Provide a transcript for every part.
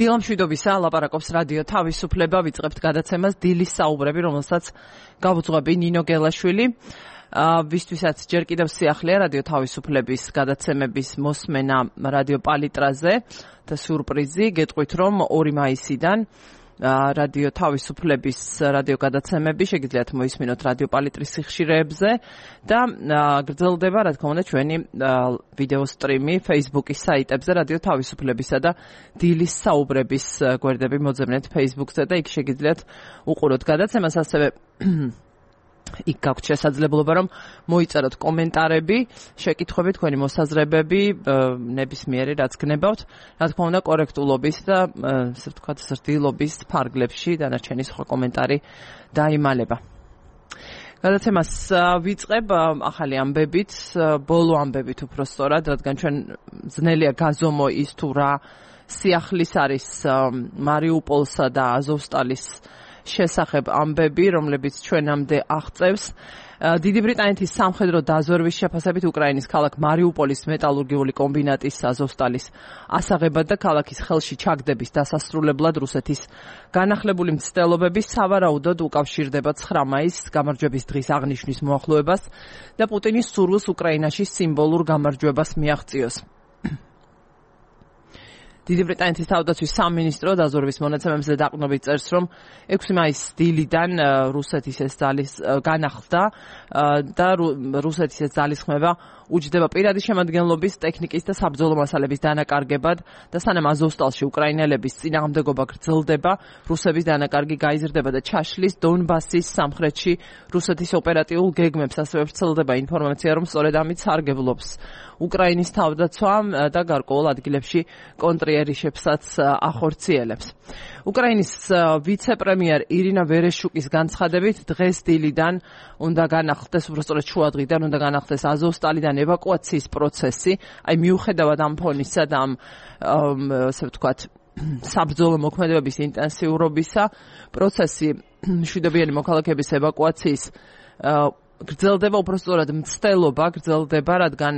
დილამშვიდობისა, ლაპარაკობს რადიო თავისუფლება, ვიწყებთ გადაცემას დილის საუბრები, რომელსაც გავუძღვები ნინო გელაშვილი. ვისთვისაც ჯერ კიდევ სიახლეა რადიო თავისუფლების გადაცემების მოსმენა რადიო პალიტრაზე და სიურპრიზი, გეტყვით რომ 2 მაისიდან რადიო თავისუფლების რადიო გადაცემები შეგიძლიათ მოისმინოთ რადიო პალიტრის სიხშირეებზე და გრძელდება, რა თქმა უნდა, ჩვენი ვიდეო სტრიმი Facebook-ის საიტებზე რადიო თავისუფლებისა და დილის საუბრების გვერდები მოძებნეთ Facebook-ზე და იქ შეგიძლიათ უყუროთ გადაცემას, ასევე იქ გაქვთ შესაძლებლობა რომ მოიწეროთ კომენტარები, შეკითხვები, თქვენი მოსაზრებები, ნებისმიერი რაც გნებავთ, რა თქმა უნდა კორექტულობის და ასე ვთქვათ ზრდილობის ფარგლებში დანარჩენი სხვა კომენტარი დაიმალება. გადაცემას ვიწყებ ახალი ამბებით, ბოლო ამბებით უფრო სწორად, რადგან ჩვენ ძნელია გაზომო ის თუ რა სიახლის არის მარიუპოლსა და აზოვსტალის შესახებ ამბები, რომლებიც ჩვენამდე აღწევს. დიდი ბრიტანეთის სამხედრო დაზვერვის შეფასებით უკრაინის ქალაქ მარიუპოლის მეტალურგიული კომბინატის აზოვსტალის ასაღებად და ქალაქის ხელში ჩაგდების დასასრულებლად რუსეთის განახლებული მცდელობები სავარაუდოდ უკავშირდება 9 მაისს გამარჯვების დღის აღნიშვნის მოახლოებას და პუტინის სურვილს უკრაინაში სიმბოლურ გამარჯვებას მიაღწიოს. დიდი ბრიტანეთის თავდაცვის სამინისტრო დაზვერვის მონაცემებზე დაყრდნობით წერს, რომ 6 მაისის დილიდან რუსეთის ეს ძალის განახლდა და რუსეთის ეს ძალისხმევა უჯდება პირადი შემადგენლობის, ტექნიკის და საბრძოლო მასალების დანაკარგებად და სანამ აზოვსტალში უკრაინელების წინააღმდეგობა გრძელდება, რუსების დანაკარგი გაიზრდება და ჩაშლის დონბასის სამხრეთში რუსეთის ოპერატიულ გეგმებს ასევე ვრცელდება ინფორმაცია, რომ სწორედ ამით სარგებლობს უკრაინის თავდაცვა და გარკვეულ ადგილებში კონტრიერიშებსაც ახორციელებს. უკრაინის ვიცე-პრემიერ ირინა ვერეშუკის განცხადებით, დღეს დილიდან უნდა განახლდეს, უბრალოდ შუადღიდან უნდა განახლდეს აზოვსტალიდან ევაკუაციის პროცესი, აი მიუხედავად ამ ფონისა და ამ ასე ვთქვათ საბრძოლო მოქმედებების ინტენსიურობისა, პროცესი მშვიდობიანი მოქალაქეების ევაკუაციის გრძელდება, უბრალოდ მცდელობა გრძელდება, რადგან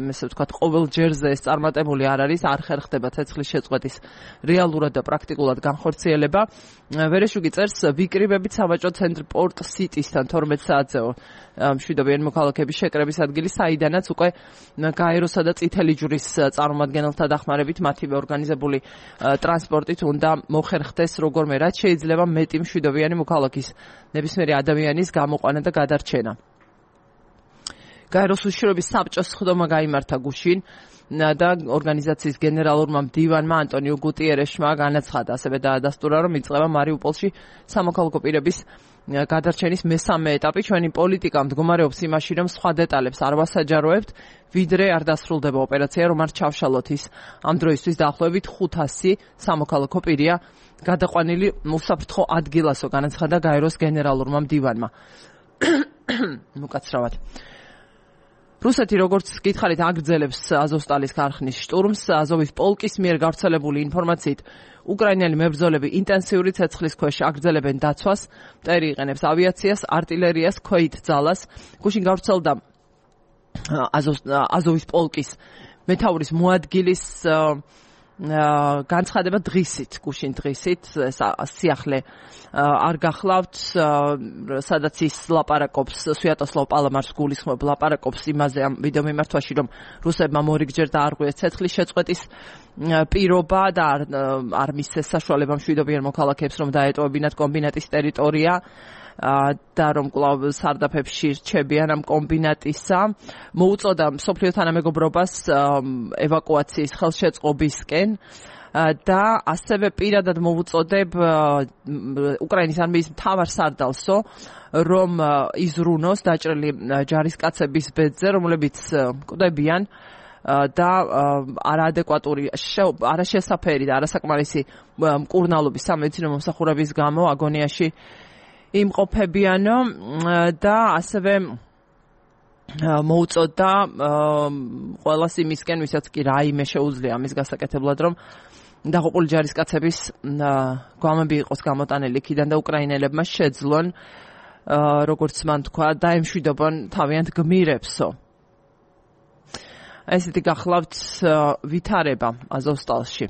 ესე ვთქვათ ყოველ ჯერზე ეს წარმატებული არ არის, არ ხერხდება ცეცხლის შეწყვეტის რეალურად და პრაქტიკულად განხორციელება. ვერეშუკი წერს, ვიკრიბებით სავაჭრო ცენტრ პორტ სიტისთან 12 საათზეო მშვიდობიანი მოქალაქეების შეკრების ადგილი, საიდანაც უკვე გაეროსა და წითელი ჯვრის წარმომადგენელთა დახმარებით მათივე ორგანიზებული ტრანსპორტით უნდა მოხერხდეს როგორმე რაც შეიძლება მეტი მშვიდობიანი მოქალაქის ნებისმიერი ადამიანის გამოყვანა და გადარჩენა. გაეროს უშიშროების საბჭოს სხდომა გაიმართა გუშინ და ორგანიზაციის გენერალურმა მდივანმა ანტონიო გუტიერეშმა განაცხადა, ასევე დაადასტურა, რომ იწყება მარიუპოლში სამოქალაქო პირების გადარჩენის მესამე ეტაპი. ჩვენი პოლიტიკა მდგომარეობს იმაში, რომ სხვა დეტალებს არ ვასაჯაროებთ, ვიდრე არ დასრულდება ოპერაცია, რომ არ ჩავშალოთ ის. ამ დროისთვის დაახლოებით 500 სამოქალაქო პირია გადაყვანილი უსაფრთხო ადგილასო, განაცხადა გაეროს გენერალურმა მდივანმა. მოკაცრავად. რუსეთი როგორც გითხარით აგრძელებს აზოვსტალის ქარხნის შტურმს. აზოვის პოლკის მიერ გავრცელებული ინფორმაციით უკრაინელი მებრძოლები ინტენსიური ცეცხლის ქვეშ აგრძელებენ დაცვას, მტერი იყენებს ავიაციას, არტილერიას, ქვეით ძალას. გუშინ გავრცელდა აზოვის პოლკის მეთაურის მოადგილის განცხადება დღისით, გუშინ დღისით, სიახლე არ გახლავთ, სადაც ის ლაპარაკობს, სვიატოსლავ პალამარს გულისხმობ ლაპარაკობს იმაზე ამ ვიდეო მიმართვაში, რომ რუსებმა მორიგჯერ დაარღვიეს ცეცხლის შეწყვეტის პირობა და არ მისცეს საშუალება მშვიდობიან მოქალაქეებს, რომ დაეტოვებინათ კომბინატის ტერიტორია და რომ კვლავ სარდაფებში რჩებიან ამ კომბინატისა. მოუწოდა მსოფლიო თანამეგობრობას ევაკუაციის ხელშეწყობისკენ და ასევე პირადად მოუწოდებ უკრაინის არმიის მთავარ სარდალსო, რომ იზრუნოს დაჭრილი ჯარისკაცების ბედზე, რომლებიც კვდებიან და არაადეკვატური, არაშესაფერი და არასაკმარისი მკურნალობის სამედიცინო მომსახურების გამო აგონიაში იმყოფებიანო და ასევე მოუწოდა ყველას იმისკენ, ვისაც კი რაიმე შეუძლია ამის გასაკეთებლად, რომ დაღუპული ჯარისკაცების გვამები იყოს გამოტანილი იქიდან და უკრაინელებმა შეძლონ, როგორც მან თქვა, დაემშვიდობონ თავიანთ გმირებსო. ესეთი გახლავთ ვითარება აზოვსტალში.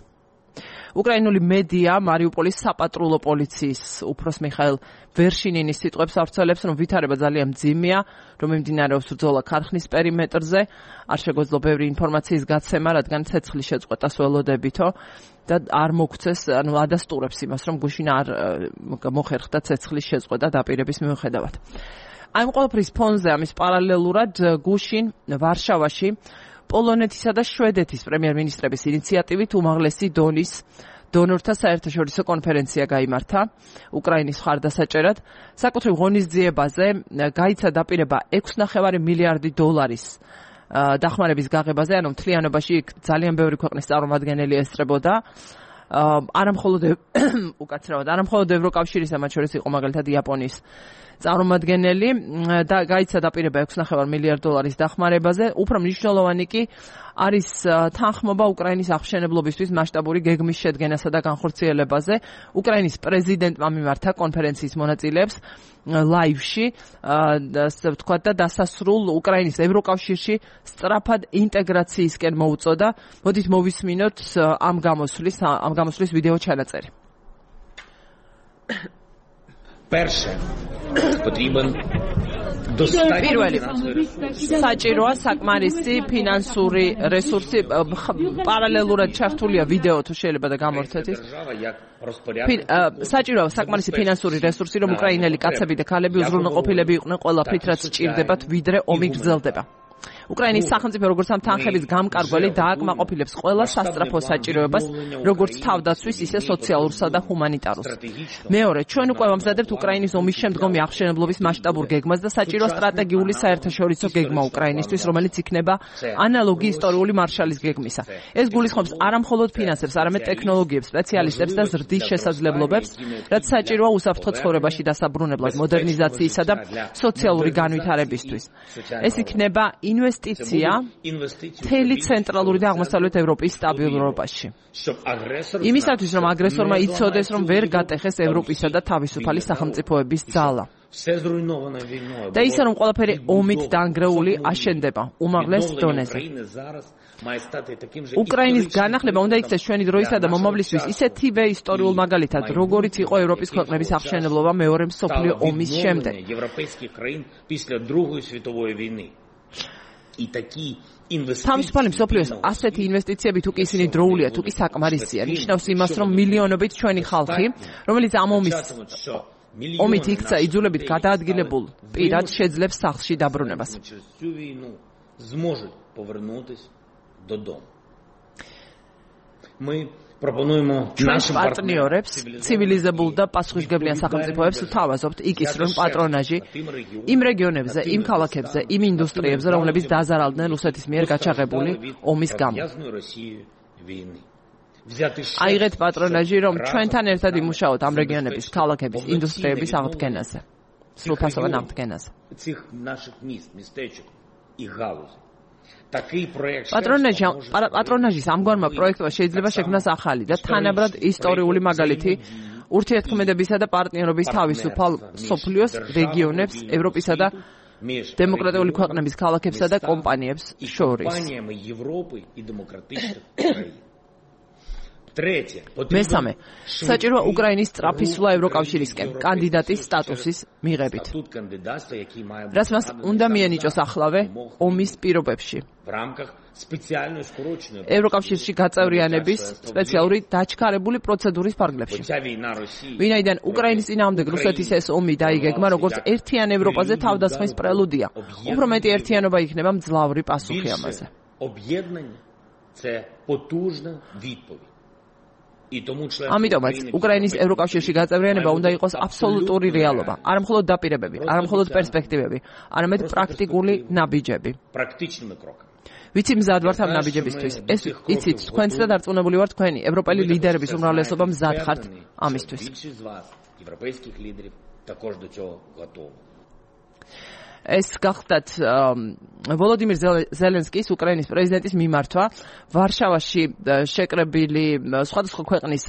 უკრაინული მედია მარიუპოლის საპატრულო პოლიციის უფროს მიხაილ ვერშინინის სიტყვებს ავრცელებს, რომ ვითარება ძალიან მძიმეა, რომ მიმდინარეობს ბრძოლა ქარხნის პერიმეტრზე, არ შეგვეძლო ბევრი ინფორმაციის გაცემა, რადგან ცეცხლის შეწყვეტას ველოდებითო და არ მოგვცეს, ანუ ადასტურებს იმას, რომ გუშინ არ მოხერხდა ცეცხლის შეწყვეტა დაპირების მიუხედავად. აი ამ ყველაფრის ფონზე ამის პარალელურად გუშინ ვარშავაში პოლონეთისა და შვედეთის პრემიერ-მინისტრების ინიციატივით უმაღლესი დონის დონორთა საერთაშორისო კონფერენცია გაიმართა უკრაინის მხარდასაჭერად. საკუთრივ ღონისძიებაზე გაიცა დაპირება 6.5 მილიარდი დოლარის დახმარების გაღებაზე, ანუ მთლიანობაში ძალიან ბევრი ქვეყნის წარმომადგენელი ესწრებოდა. არამხოლოდ ევროკავშირისა, მათ შორის იყო მაგალითად იაპონიის წარმომადგენელი და გაიცა დაპირება 6.5 მილიარდ დოლარის დახმარებაზე. უფრო მნიშვნელოვანი კი არის თანხმობა უკრაინის აღმშენებლობისთვის მასშტაბური გეგმის შედგენასა და განხორციელებაზე. უკრაინის პრეზიდენტმა მიმართა კონფერენციის მონაწილეებს ლაივში, ვთქვათ, და დასასრულ უკრაინის ევროკავშირში სწრაფად ინტეგრაციისკენ მოუწოდა. მოდით მოვისმინოთ ამ გამოსვლის ვიდეო ჩანაწერი. Перше, потрібен პირველი საჭიროა საკმარისი ფინანსური რესურსი, პარალელურად ჩართულია ვიდეო თუ შეიძლება და გამორთეთ ის. საჭიროა საკმარისი ფინანსური რესურსი, რომ უკრაინელი კაცები და ქალები უზრუნველყოფილები იყვნენ ყველაფრით, რაც სჭირდებათ, ვიდრე ომი გრძელდება. უკრაინის სახელმწიფო როგორც ამ თანხების გამკარგველი დააკმაყოფილებს ყველა სასწრაფო საჭიროებას, როგორც თავდაცვის, ისე სოციალურსა და ჰუმანიტარულს. მეორე, ჩვენ უკვე ვამზადებთ უკრაინის ომის შემდგომი აღმშენებლობის მასშტაბურ გეგმას და საჭიროა სტრატეგიული საერთაშორისო გეგმა უკრაინისთვის, რომელიც იქნება ანალოგი ისტორიული მარშალის გეგმისა. ეს გულისხმობს არამხოლოდ ფინანსებს, არამედ ტექნოლოგიებს, სპეციალისტებს და ზრდის შესაძლებლობებს, რაც საჭიროა უსაფრთხო ცხოვრებაში დასაბრუნებლად, მოდერნიზაციისა და სოციალური განვითარებისთვის. ეს იქნება ინვესტიცია მთელი ცენტრალური და აღმოსავლეთ ევროპის სტაბილურობაში. იმისათვის, რომ აგრესორმა იცოდეს, რომ ვერ გატეხეს ევროპისა და თავისუფალი სახელმწიფოების ძალა. და ისე, რომ ყველაფერი ომით დანგრეული აშენდება უმაღლეს დონეზე. უკრაინის განახლება უნდა იქცეს ჩვენი დროისა და მომავლისთვის ისეთივე ისტორიულ მაგალითად, როგორიც იყო ევროპის ქვეყნების აღმშენებლობა მეორე მსოფლიო ომის შემდეგ. თავისუფალი მსოფლიოს ასეთი ინვესტიციები თუ კი ისინი დროულია, თუ კი საკმარისია, ნიშნავს იმას, რომ მილიონობით ჩვენი ხალხი, რომელიც ამ ომით იქცა იძულებით გადაადგილებულ პირად შეძლებს სახლში დაბრუნებას. ჩვენს პარტნიორებს, ცივილიზებულ და პასუხისმგებლიან სახელმწიფოებს ვთავაზობთ იკისრონ პატრონაჟი იმ რეგიონებზე, იმ ქალაქებზე, იმ ინდუსტრიებზე, რომლებიც დაზარალდნენ რუსეთის მიერ გაჩაღებული ომის გამო. აიღეთ პატრონაჟი, რომ ჩვენთან ერთად იმუშაოთ ამ რეგიონების, ქალაქების, ინდუსტრიების აღდგენაზე, სრულფასოვან აღდგენაზე. პატრონაჟის ამგვარმა პროექტმა შეიძლება შექმნას ახალი და თანაბრად ისტორიული მაგალითი ურთიერთქმედებისა და პარტნიორობის თავისუფალ მსოფლიოს რეგიონებს, ევროპისა და დემოკრატიული ქვეყნების ქალაქებსა და კომპანიებს შორის. მესამე, საჭიროა უკრაინის სწრაფისვლა ევროკავშირისკენ კანდიდატის სტატუსის მიღებით, რაც მას უნდა მიენიჭოს ახლავე ომის პირობებში. ევროკავშირში გაწევრიანების სპეციალური დაჩქარებული პროცედურის ფარგლებში. ვინაიდან უკრაინის წინააღმდეგ რუსეთის ეს ომი დაიგეგმა როგორც ერთიან ევროპაზე თავდასხმის პრელუდია, უფრო მეტი ერთიანობა იქნება მძლავრი პასუხი ამაზე. ამიტომაც უკრაინის ევროკავშირში გაწევრიანება უნდა იყოს აბსოლუტური რეალობა, არამხოლოდ დაპირებები, არამხოლოდ პერსპექტივები, არამედ პრაქტიკული ნაბიჯები. ვიცი მზად ვართ ამ ნაბიჯებისთვის. ეს იცით, თქვენც და დარწმუნებული ვარ თქვენი ევროპელი ლიდერების უმრავლესობა მზად ხართ ამისთვის. ეს გახდათ ვოლოდიმირ ზელენსკის, უკრაინის პრეზიდენტის მიმართვა ვარშავაში შეკრებილი სხვადასხვა ქვეყნის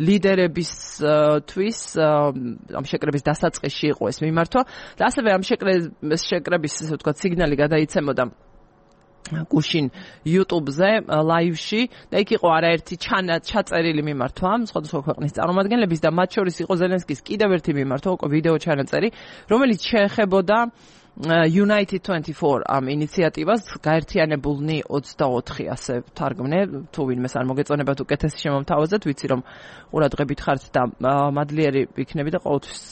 ლიდერებისთვის ამ შეკრების დასაწყისში იყო ეს მიმართვა და ასევე ამ შეკრების, ესე ვთქვათ, სიგნალი გადაიცემოდა გუშინ YouTube-ზე live-ში და იქ იყო არაერთი ჩაწერილი მიმართვა სხვადასხვა ქვეყნის წარმომადგენლების და მათ შორის იყო ზელენსკის კიდევ ერთი მიმართვა, ვიდეო ჩანაწერი, რომელიც შეეხებოდა United 24 ამ ინიციატივას გაერთიანებულნი 24 ასე თარგმნე თუ ვინმეს არ მოგეწონებათ უკეთესი შემომთავაზეთ ვიცი რომ ყურადღებით ხართ და მადლიერი იქნები და ყოველთვის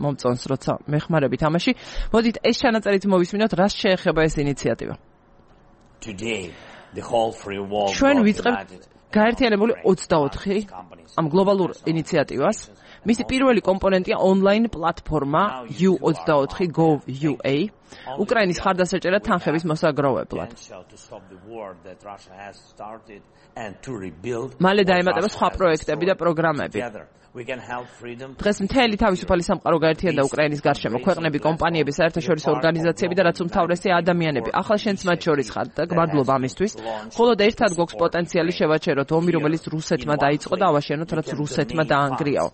მომწონს როცა მეხმარებით ამაში მოდით ეს ჩანაწერით მოვისმინოთ რას შეეხება ეს ინიციატივა ჩვენ ვიწყებთ გაერთიანებული 24 ამ გლობალურ ინიციატივას მისი პირველი კომპონენტია ონლაინ პლატფორმა U24.gov.ua უკრაინის ხარდასაჭერა თანხების მოსაგროვებლად. მალე დაემატება სხვა პროექტები და პროგრამები. დღეს მთელი თავისუფალი სამყარო გაერთიანდა უკრაინის გარშემო ქვეყნები, კომპანიები, საერთაშორისო ორგანიზაციები და რაც უმთავრესია ადამიანები. ახლა შენც მათ შორის ხარ და მადლობა ამისთვის. მხოლოდ ერთად გვაქვს პოტენციალი შევაჩეროთ ომი, რომელიც რუსეთმა დაიწყო და ავაშენოთ, რაც რუსეთმა დაანგრიაო.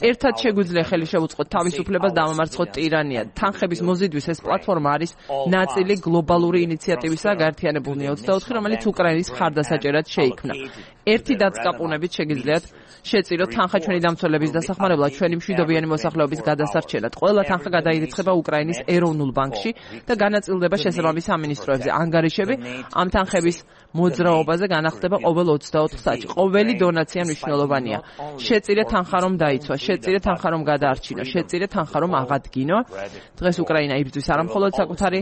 ერთად შეგვიძლია ხელი შევუწყოთ თავისუფლებას და ამომარცხოთ ტირანია. თანხების მოზიდვის ეს პლატფორმა არის ნაწილი გლობალური ინიციატივისა გაერთიანებულნი 24, რომელიც უკრაინის ხარდასაჭერად შეიქმნა. ერთი დაწკაპუნებით შეგიძლიათ შეწიროთ თანხა ჩვენი დამცველების დასახმარებლად ჩვენი მშვიდობიანი მოსახლეობის გადასარჩენად. ყველა თანხა გადაირიცხება უკრაინის ეროვნულ ბანკში და განაწილდება შესაბამის სამინისტროებზე. ანგარიშები ამ თანხების მოძრაობაზე განახდება ყოველ 24 საათში. ყოველი დონაცია მნიშვნელოვანია. შეწირე თანხა რომ დაიცვა, შეწირე თანხა რომ გადაარჩინო, შეწირე თანხა რომ აღადგინო. დღეს უკრაინა იბრძვის არა მხოლოდ საკუთარი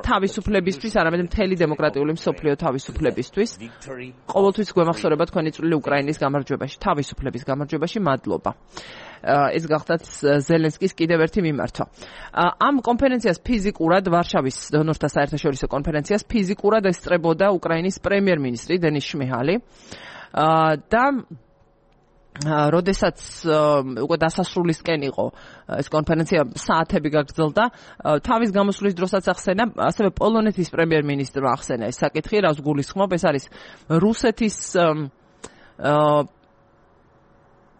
თავისუფლებისთვის, არამედ მთელი დემოკრატიული მსოფლიო თავისუფლებისთვის. ყოველთვის გვემახსოვრება თქვენი წვლილი უკრაინის გამარჯვებაში, თავისუფლების გამარჯვებაში. მადლობა. ეს გახდათ ზელენსკის კიდევ ერთი მიმართვა. ამ კონფერენციას ფიზიკურად ვარშავის დონორთა საერთაშორისო კონფერენციას ფიზიკურად ესწრებოდა უკრაინის პრემიერ-მინისტრი დენის შმიჰალი და როდესაც უკვე დასასრულისკენ იყო ეს კონფერენცია საათები გაგრძელდა თავის გამოსვლის დროსაც ახსენა ასევე პოლონეთის პრემიერ-მინისტრმა ახსენა ეს საკითხი რას გულისხმობ ეს არის რუსეთის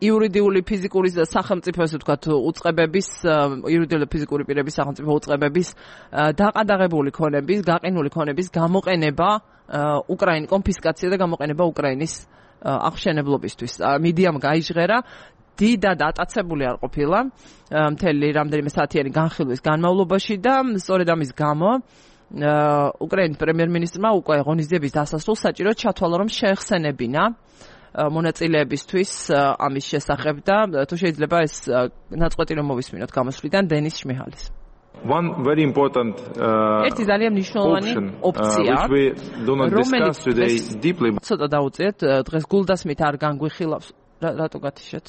იურიდიული ფიზიკური სახელმწიფო ასე ვთქვათ უწყებების იურიდიული ფიზიკური პირების სახელმწიფო უწყებების დაყადაღებული ქონების, გაყინული ქონების გამოყენება უკრაინის კონფისკაცია და გამოყენება უკრაინის აღშენებლობისთვის. მიდიამ გაიჟღერა დიდად ატაცებული არ ყოფილა მთელი რამდენიმე საათიანი განხილვის განმავლობაში და სწორედ ამის გამო უკრაინის პრემიერ-მინისტრმა უკვე ღონისძიების დასასრულს საჭიროდ ჩათვალა რომ შეეხსენებინა მონაწილეებისთვის ამის შესახებ და თუ შეიძლება ეს ნაწყვეტი რომ მოვისმინოთ გამოსვლიდან დენის შმიჰალის. One very important ერთი ძალიან მნიშვნელოვანი ოპცია რომელიც ცოტა დაუწიეთ დღეს გულდასმით არ განგვიხილავს რატო გათიშეთ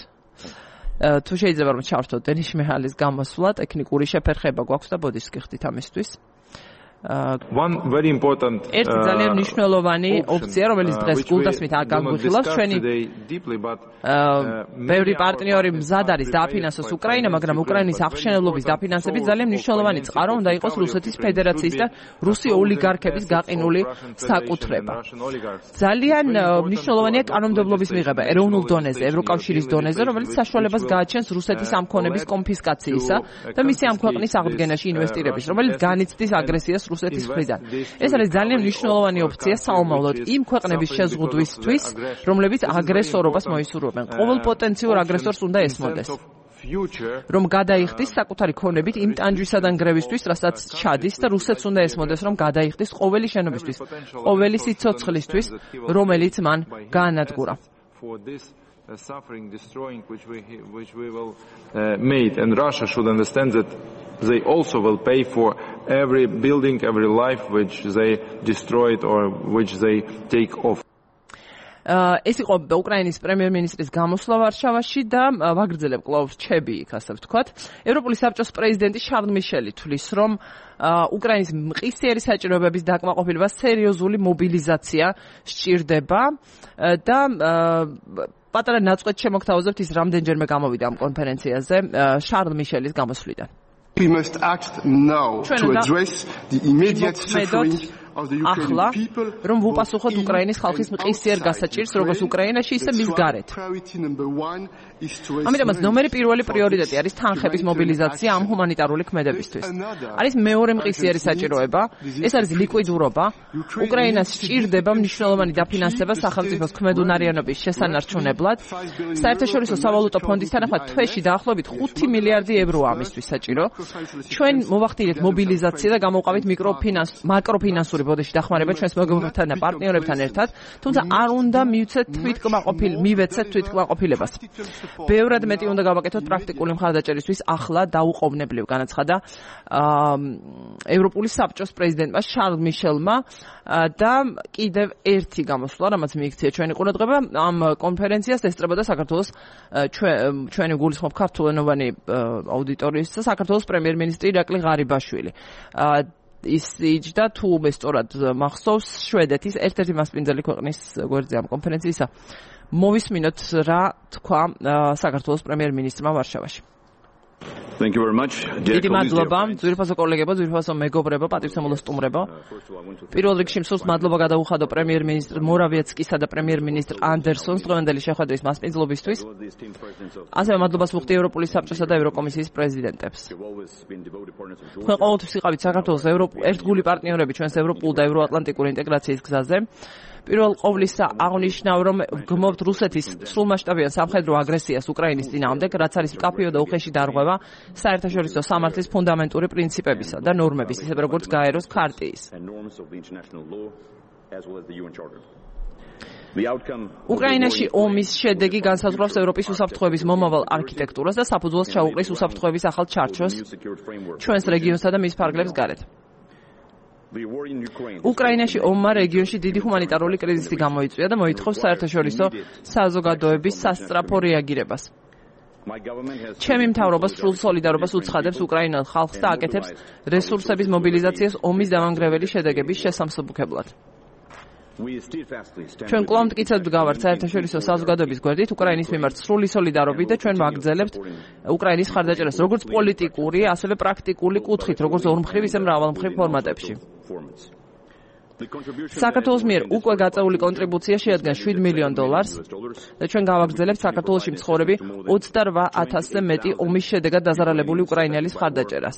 თუ შეიძლება რომ ჩავერთოთ დენის შმიჰალის გამოსვლა ტექნიკური შეფერხება გვაქვს და ბოდიშს გიხდით ამისთვის One very important ერთი ძალიან მნიშვნელოვანი ოპცია რომელიც დღეს გულდასმით არ განგვიხილავს ჩვენი ბევრი პარტნიორი მზად არის დააფინანსოს უკრაინა მაგრამ უკრაინის აღშენებლობის დაფინანსებით ძალიან მნიშვნელოვანი წყარო უნდა იყოს რუსეთის ფედერაციის და რუსი ოლიგარქების გაყინული საკუთრება ძალიან მნიშვნელოვანია კანონმდებლობის მიღება ეროვნულ დონეზე ევროკავშირის დონეზე რომელიც საშუალებას გააჩენს რუსეთის ამ ქონების კონფისკაციისა და მისი ამ ქვეყნის აღდგენაში ინვესტირების რომელიც განიცდის აგრესიას რუსეთის მხრიდან. ეს არის ძალიან მნიშვნელოვანი ოპცია საომავლოდ იმ ქვეყნების შეზღუდვისთვის, რომლებიც აგრესორობას მოისურვებენ. ყოველ პოტენციურ აგრესორს უნდა ესმოდეს. რომ გადაიხდის საკუთარი ქონებით იმ ტანჯვისა და ნგრევისთვის, რასაც ჩადის და რუსეთს უნდა ესმოდეს, რომ გადაიხდის ყოველი შენობისთვის, ყოველი სიცოცხლისთვის, რომელიც მან გაანადგურა. Suffering, destroying, which we will made, and Russia should understand that they also will pay for every building, every life which they destroyed or which they take off. ეს იყო უკრაინის პრემიერ-მინისტრის გამოსვლა ვარშავაში და ვაგრძელებ კვლავ რჩები იქ ასე ვთქვათ. ევროპული საბჭოს პრეზიდენტი შარლ მიშელი თვლის, რომ უკრაინის მყისიერი საჭიროებების დაკმაყოფილება სერიოზული მობილიზაცია სჭირდება და პატარა ნაწყვეტ შემოგთავაზებთ ის რამდენჯერმე გამოვიდა ამ კონფერენციაზე შარლ მიშელის გამოსვლიდან. We must act now to address the immediate suffering ახლა რომ ვუპასუხოთ უკრაინის ხალხის მყისიერ გასაჭირს როგორც უკრაინაში ისე მის გარეთ. ამიტომაც ნომერი პირველი პრიორიტეტი არის თანხების მობილიზაცია ამ ჰუმანიტარული ქმედებისთვის. არის მეორე მყისიერი საჭიროება, ეს არის ლიკვიდურობა. უკრაინას სჭირდება მნიშვნელოვანი დაფინანსება სახელმწიფოს ქმედუნარიანობის შესანარჩუნებლად. საერთაშორისო სავალუტო ფონდის თანახმად თვეში დაახლოებით 5 მილიარდი ევროა ამისთვის საჭირო. ჩვენ მოვახდინეთ მობილიზაცია და გამოვყავით მაკროფინანსური ბოდიში დახმარება ჩვენს მეგობრებთან და პარტნიორებთან ერთად, თუმცა არ უნდა მივცეთ თვითკმაყოფილებას. ბევრად მეტი უნდა გავაკეთოთ პრაქტიკული მხარდაჭერისთვის, ახლა დაუყოვნებლივ განაცხადა ევროპული საბჭოს პრეზიდენტმა შარლ მიშელმა და კიდევ ერთი გამოსვლა, რამაც მიიქცია ჩვენი ყურადღება, ამ კონფერენციას ესწრებოდა საქართველოს ჩვენი გულისხმობ ქართულენოვანი აუდიტორიის საქართველოს პრემიერ-მინისტრი ირაკლი ღარიბაშვილი. ის იჯდა თუ მე სწორად მახსოვს შვედეთის ერთ-ერთი მასპინძელი ქვეყნის გვერდზე ამ კონფერენციისა. მოვისმინოთ რა თქვა საქართველოს პრემიერ-მინისტრმა ვარშავაში. Thank you very much. დიდი მადლობა, ძვირფასო კოლეგებო, ძვირფასო მეგობრებო, პატივსამულო სტუმრებო. პირველ რიგში მსურს მადლობა გადაუხადო პრემიერ-მინისტრ მორავიეცკისა და პრემიერ-მინისტრ andersons დღევანდელი შეხვედრის მასპინძლობისთვის. ასევე მადლობას ვუხდი ევროპული საბჭოსა და ევროკომისიის პრეზიდენტებს. თქვენ ყოველთვის იყავით საქართველოს ერთგული პარტნიორები ჩვენს ევროპულ და ევროატლანტიკურ ინტეგრაციის გზაზე. პირველ ყოვლისა აღნიშნავ, რომ გმობთ რუსეთის სრულმასშტაბიან სამხედრო აგრესიას უკრაინის წინააღმდეგ, რაც არის მკაფიო და უხეში დარღვევა საერთაშორისო სამართლის ფუნდამენტური პრინციპებისა და ნორმების, ისე როგორც გაეროს ქარტიის. უკრაინაში ომის შედეგი განსაზღვრავს ევროპის უსაფრთხოების მომავალ არქიტექტურას და საფუძველს ჩაუყრის უსაფრთხოების ახალ ჩარჩოს ჩვენს რეგიონსა და მის ფარგლებს გარეთ. უკრაინაში ომმა რეგიონში დიდი ჰუმანიტარული კრიზისი გამოიწვია და მოითხოვს საერთაშორისო საზოგადოების სასწრაფო რეაგირებას. ჩემი მთავრობა სრულ სოლიდარობას უცხადებს უკრაინელ ხალხს და აკეთებს რესურსების მობილიზაციას ომის დამანგრეველი შედეგების შესამსუბუქებლად. ჩვენ კვლავ მტკიცედ გავართ საერთაშორისო საზოგადოების გვერდით უკრაინის მიმართ სრული სოლიდარობით და ჩვენ ვაგრძელებთ უკრაინის მხარდაჭერას როგორც პოლიტიკური, ასევე პრაქტიკული კუთხით, როგორც ორმხრივ, ისე მრავალმხრივ ფორმატებში. საქართველოს მიერ უკვე გაწეული კონტრიბუცია შეადგენს $7 მილიონ და ჩვენ გავაგრძელებთ საქართველოში მცხოვრები 28,000-ზე მეტი ომის შედეგად დაზარალებული უკრაინელის მხარდაჭერას.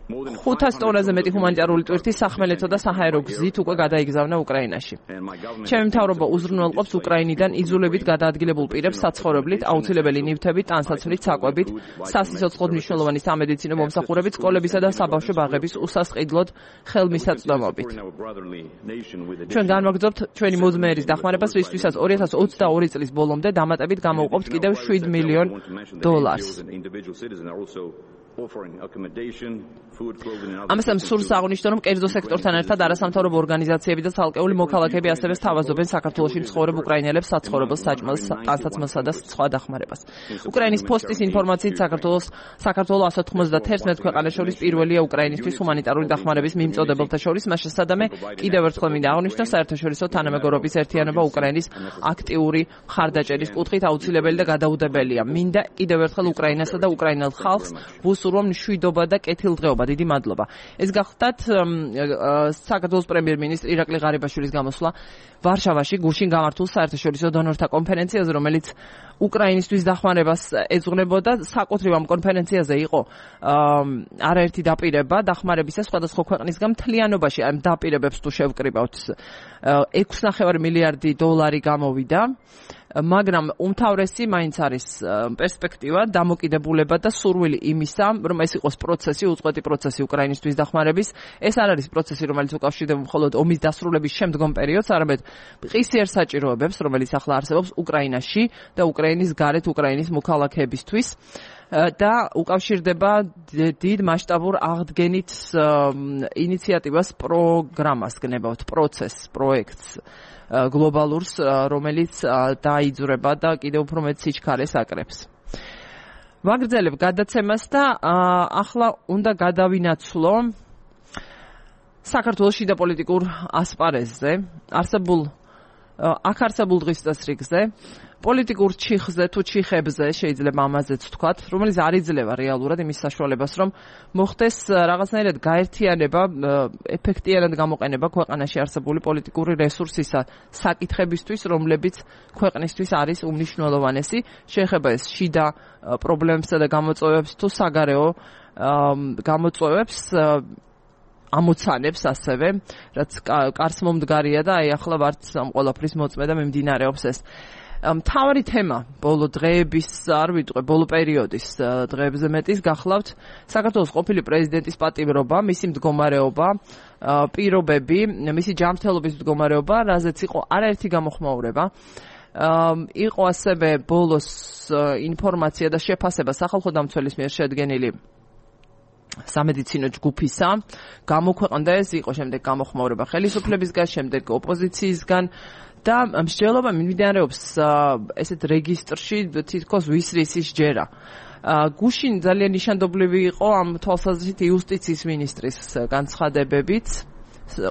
500 ტონაზე მეტი ჰუმანიტარული ტვირთი სახმელეთო და საჰაერო გზით უკვე გადაიგზავნა უკრაინაში. ჩემი მთავრობა უზრუნველყოფს უკრაინიდან იძულებით გადაადგილებულ პირებს საცხოვრებლით, აუცილებელი ნივთებით, ტანსაცმლით, საკვებით, სასიცოცხლოდ მნიშვნელოვანი სამედიცინო მომსახურებით, სკოლებისა და საბავშვო ბაღების უსასყიდლოდ ხელმისაწვდომობით. ჩვენ განვაგრძობთ ჩვენი მოძმეერის დახმარებას, რისთვისაც 2022 წლის ბოლომდე დამატებით გამოვყოფთ კიდევ $7 მილიონ. ამასთან სურს აღნიშნო, რომ კერძო სექტორთან ერთად არასამთავრობო ორგანიზაციები და ცალკეული მოქალაქეები ასევე სთავაზობენ საქართველოში მცხოვრებ უკრაინელებს საცხოვრებელ საჭმელს, ტანსაცმელსა და სხვა დახმარებას. უკრაინის ფოსტის ინფორმაციით საქართველოს 191 ქვეყანას შორის პირველია უკრაინისთვის ჰუმანიტარული დახმარების მიმწოდებელთა შორის. მას შესაბამისად კიდევ ერთხელ მინდა აღნიშნო, საერთაშორისო თანამეგობრობის ერთიანობა უკრაინის აქტიური მხარდაჭერის კუთხით აუცილებელი და გადაუდებელია. მინდა კიდევ ერთხელ უკრაინასა და უკრაინელ ხალხს ვუსურვო მშვიდობა და კეთილდღეობა. დიდი მადლობა. ეს გახლდათ საქართველოს პრემიერ-მინისტრი ირაკლი ღარიბაშვილის გამოსვლა ვარშავაში გუშინ გამართულ საერთაშორისო დონორთა კონფერენციაზე, რომელიც უკრაინისთვის დახმარებას ეძღვნებოდა. საკუთრივ ამ კონფერენციაზე იყო არაერთი დაპირება დახმარებისა სხვადასხვა ქვეყნისგან. მთლიანობაში ამ დაპირებებს თუ შევკრიბავთ $6.5 მილიარდი გამოვიდა. მაგრამ უმთავრესი მაინც არის პერსპექტივა, დამოკიდებულება და სურვილი იმისა, რომ ეს იყოს პროცესი, უწყვეტი პროცესი უკრაინისთვის დახმარების. ეს არ არის პროცესი, რომელიც უკავშირდება მხოლოდ ომის დასრულების შემდგომ პერიოდს, არამედ მყისიერ საჭიროებებს, რომელიც ახლა არსებობს უკრაინაში და უკრაინის გარეთ უკრაინის მოქალაქეებისთვის. და უკავშირდება დიდ მასშტაბურ აღდგენით ინიციატივას, პროგრამას გნებავთ, პროცესს, პროექტს გლობალურს, რომელიც დაიძვრება და კიდევ უფრო მეტ სიჩქარეს აკრებს. ვაგრძელებ გადაცემას და ახლა უნდა გადავინაცვლო საქართველოს შიდა პოლიტიკურ ასპარეზზე, არსებულ დღის წესრიგზე. პოლიტიკურ ჩიხზე თუ ჩიხებზე შეიძლება ამაზეც ვთქვათ, რომელიც არ იძლევა რეალურად იმის საშუალებას, რომ მოხდეს რაღაცნაირად გაერთიანება, ეფექტიანად გამოყენება ქვეყანაში არსებული პოლიტიკური რესურსისა საკითხებისთვის, რომლებიც ქვეყნისთვის არის უმნიშვნელოვანესი, შეეხება ეს შიდა პრობლემებსა და გამოწვევებს თუ საგარეო გამოწვევებს ამოცანებს ასევე, რაც კარს მომდგარია და აი ახლა ვართ ამ ყველაფრის მოწმე და მიმდინარეობს ეს. მთავარი თემა ბოლო დღეების, არ ვიტყვე, ბოლო პერიოდის დღეებზე მეტის გახლავთ საქართველოს ყოფილი პრეზიდენტის პატიმრობა, მისი მდგომარეობა, პირობები, მისი ჯანმრთელობის მდგომარეობა, რაზეც იყო არაერთი გამოხმაურება. იყო ასევე ბოლოს ინფორმაცია და შეფასება სახალხო დამცველის მიერ შედგენილი სამედიცინო ჯგუფისა, გამოქვეყნდა ეს, იყო შემდეგ გამოხმაურება ხელისუფლებისგან, შემდეგ ოპოზიციისგან და მსჯელობა მიმდინარეობს ესეთ რეგისტრში თითქოს ვისრისის ჯერა. გუშინ ძალიან ნიშანდობლივი იყო ამ თვალსაზრისით იუსტიციის მინისტრის განცხადებებით,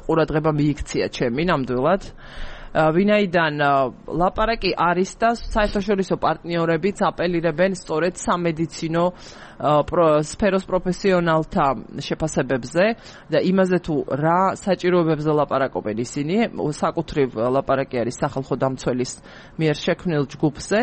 ყურადღება მიიქცია ჩემი ნამდვილად. ვინაიდან ლაპარაკი არის და საერთაშორისო პარტნიორებიც აპელირებენ სწორედ სამედიცინო სფეროს პროფესიონალთა შეფასებებზე და იმაზე თუ რა საჭიროებებზე ლაპარაკობენ ისინი, საკუთრივ ლაპარაკი არის სახალხო დამცველის მიერ შექმნილ ჯგუფზე.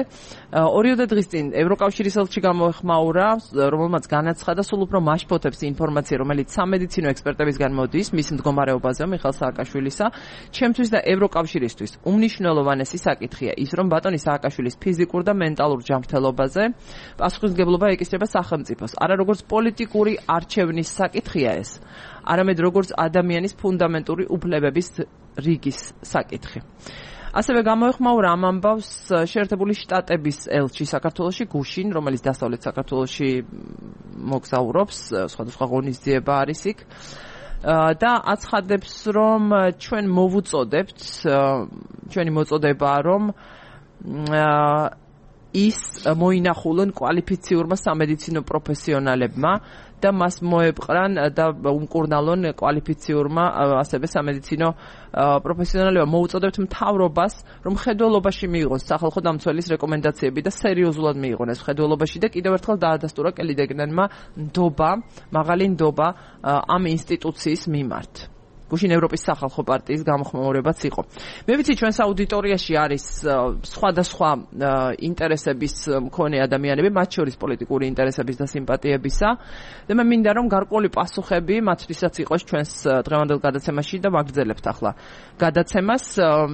2 დღის წინ ევროკავშირის ელჩი გამოეხმაურა, რომელმაც განაცხადა სულ უფრო მასშტაბებს ინფორმაცია, რომელიც სამედიცინო ექსპერტებისგან მოდის მის მდგომარეობაზე, მიხეილ სააკაშვილისა. ჩემთვის და ევროკავშირისთვის უმნიშვნელოვანესი საკითხია ის, რომ ბატონი სააკაშვილის ფიზიკურ და მენტალურ ჯანმრთელობაზე პასუხისმგებლობა ეკისრება სახელმწიფოს. არა როგორც პოლიტიკური არჩევნის საკითხია ეს, არამედ როგორც ადამიანის ფუნდამენტური უფლებების რიგის საკითხი. ასევე გამოეხმაურა ამ ამბავს შეერთებული შტატების ელჩი საქართველოში გუშინ, რომელიც დასავლეთ საქართველოში მოგზაურობს, სხვადასხვა ღონისძიება არის იქ. და აცხადებს, რომ ჩვენ მოვუწოდებთ, ჩვენი მოწოდებაა, რომ ის მოინახულონ კვალიფიციურმა სამედიცინო პროფესიონალებმა და მას მოეპყრან და უმკურნალონ კვალიფიციურმა ასევე სამედიცინო პროფესიონალებმა. მოუწოდებთ მთავრობას, რომ ხედველობაში მიიღოს სახალხო დამცველის რეკომენდაციები და სერიოზულად მიიღონ ეს ხედველობაში და კიდევ ერთხელ დაადასტურა კელი დეგნენმა ნდობა, მაღალი ნდობა ამ ინსტიტუციის მიმართ. გუშინ ევროპის სახალხო პარტიის გამოხმაურებაც იყო. მე ვიცი, ჩვენს აუდიტორიაში არის სხვადასხვა ინტერესების მქონე ადამიანები, მათ შორის პოლიტიკური ინტერესების და სიმპათიებისა და მე მინდა რომ გარკვეული პასუხები მათთვისაც იყოს ჩვენს დღევანდელ გადაცემაში და ვაგრძელებთ ახლა გადაცემას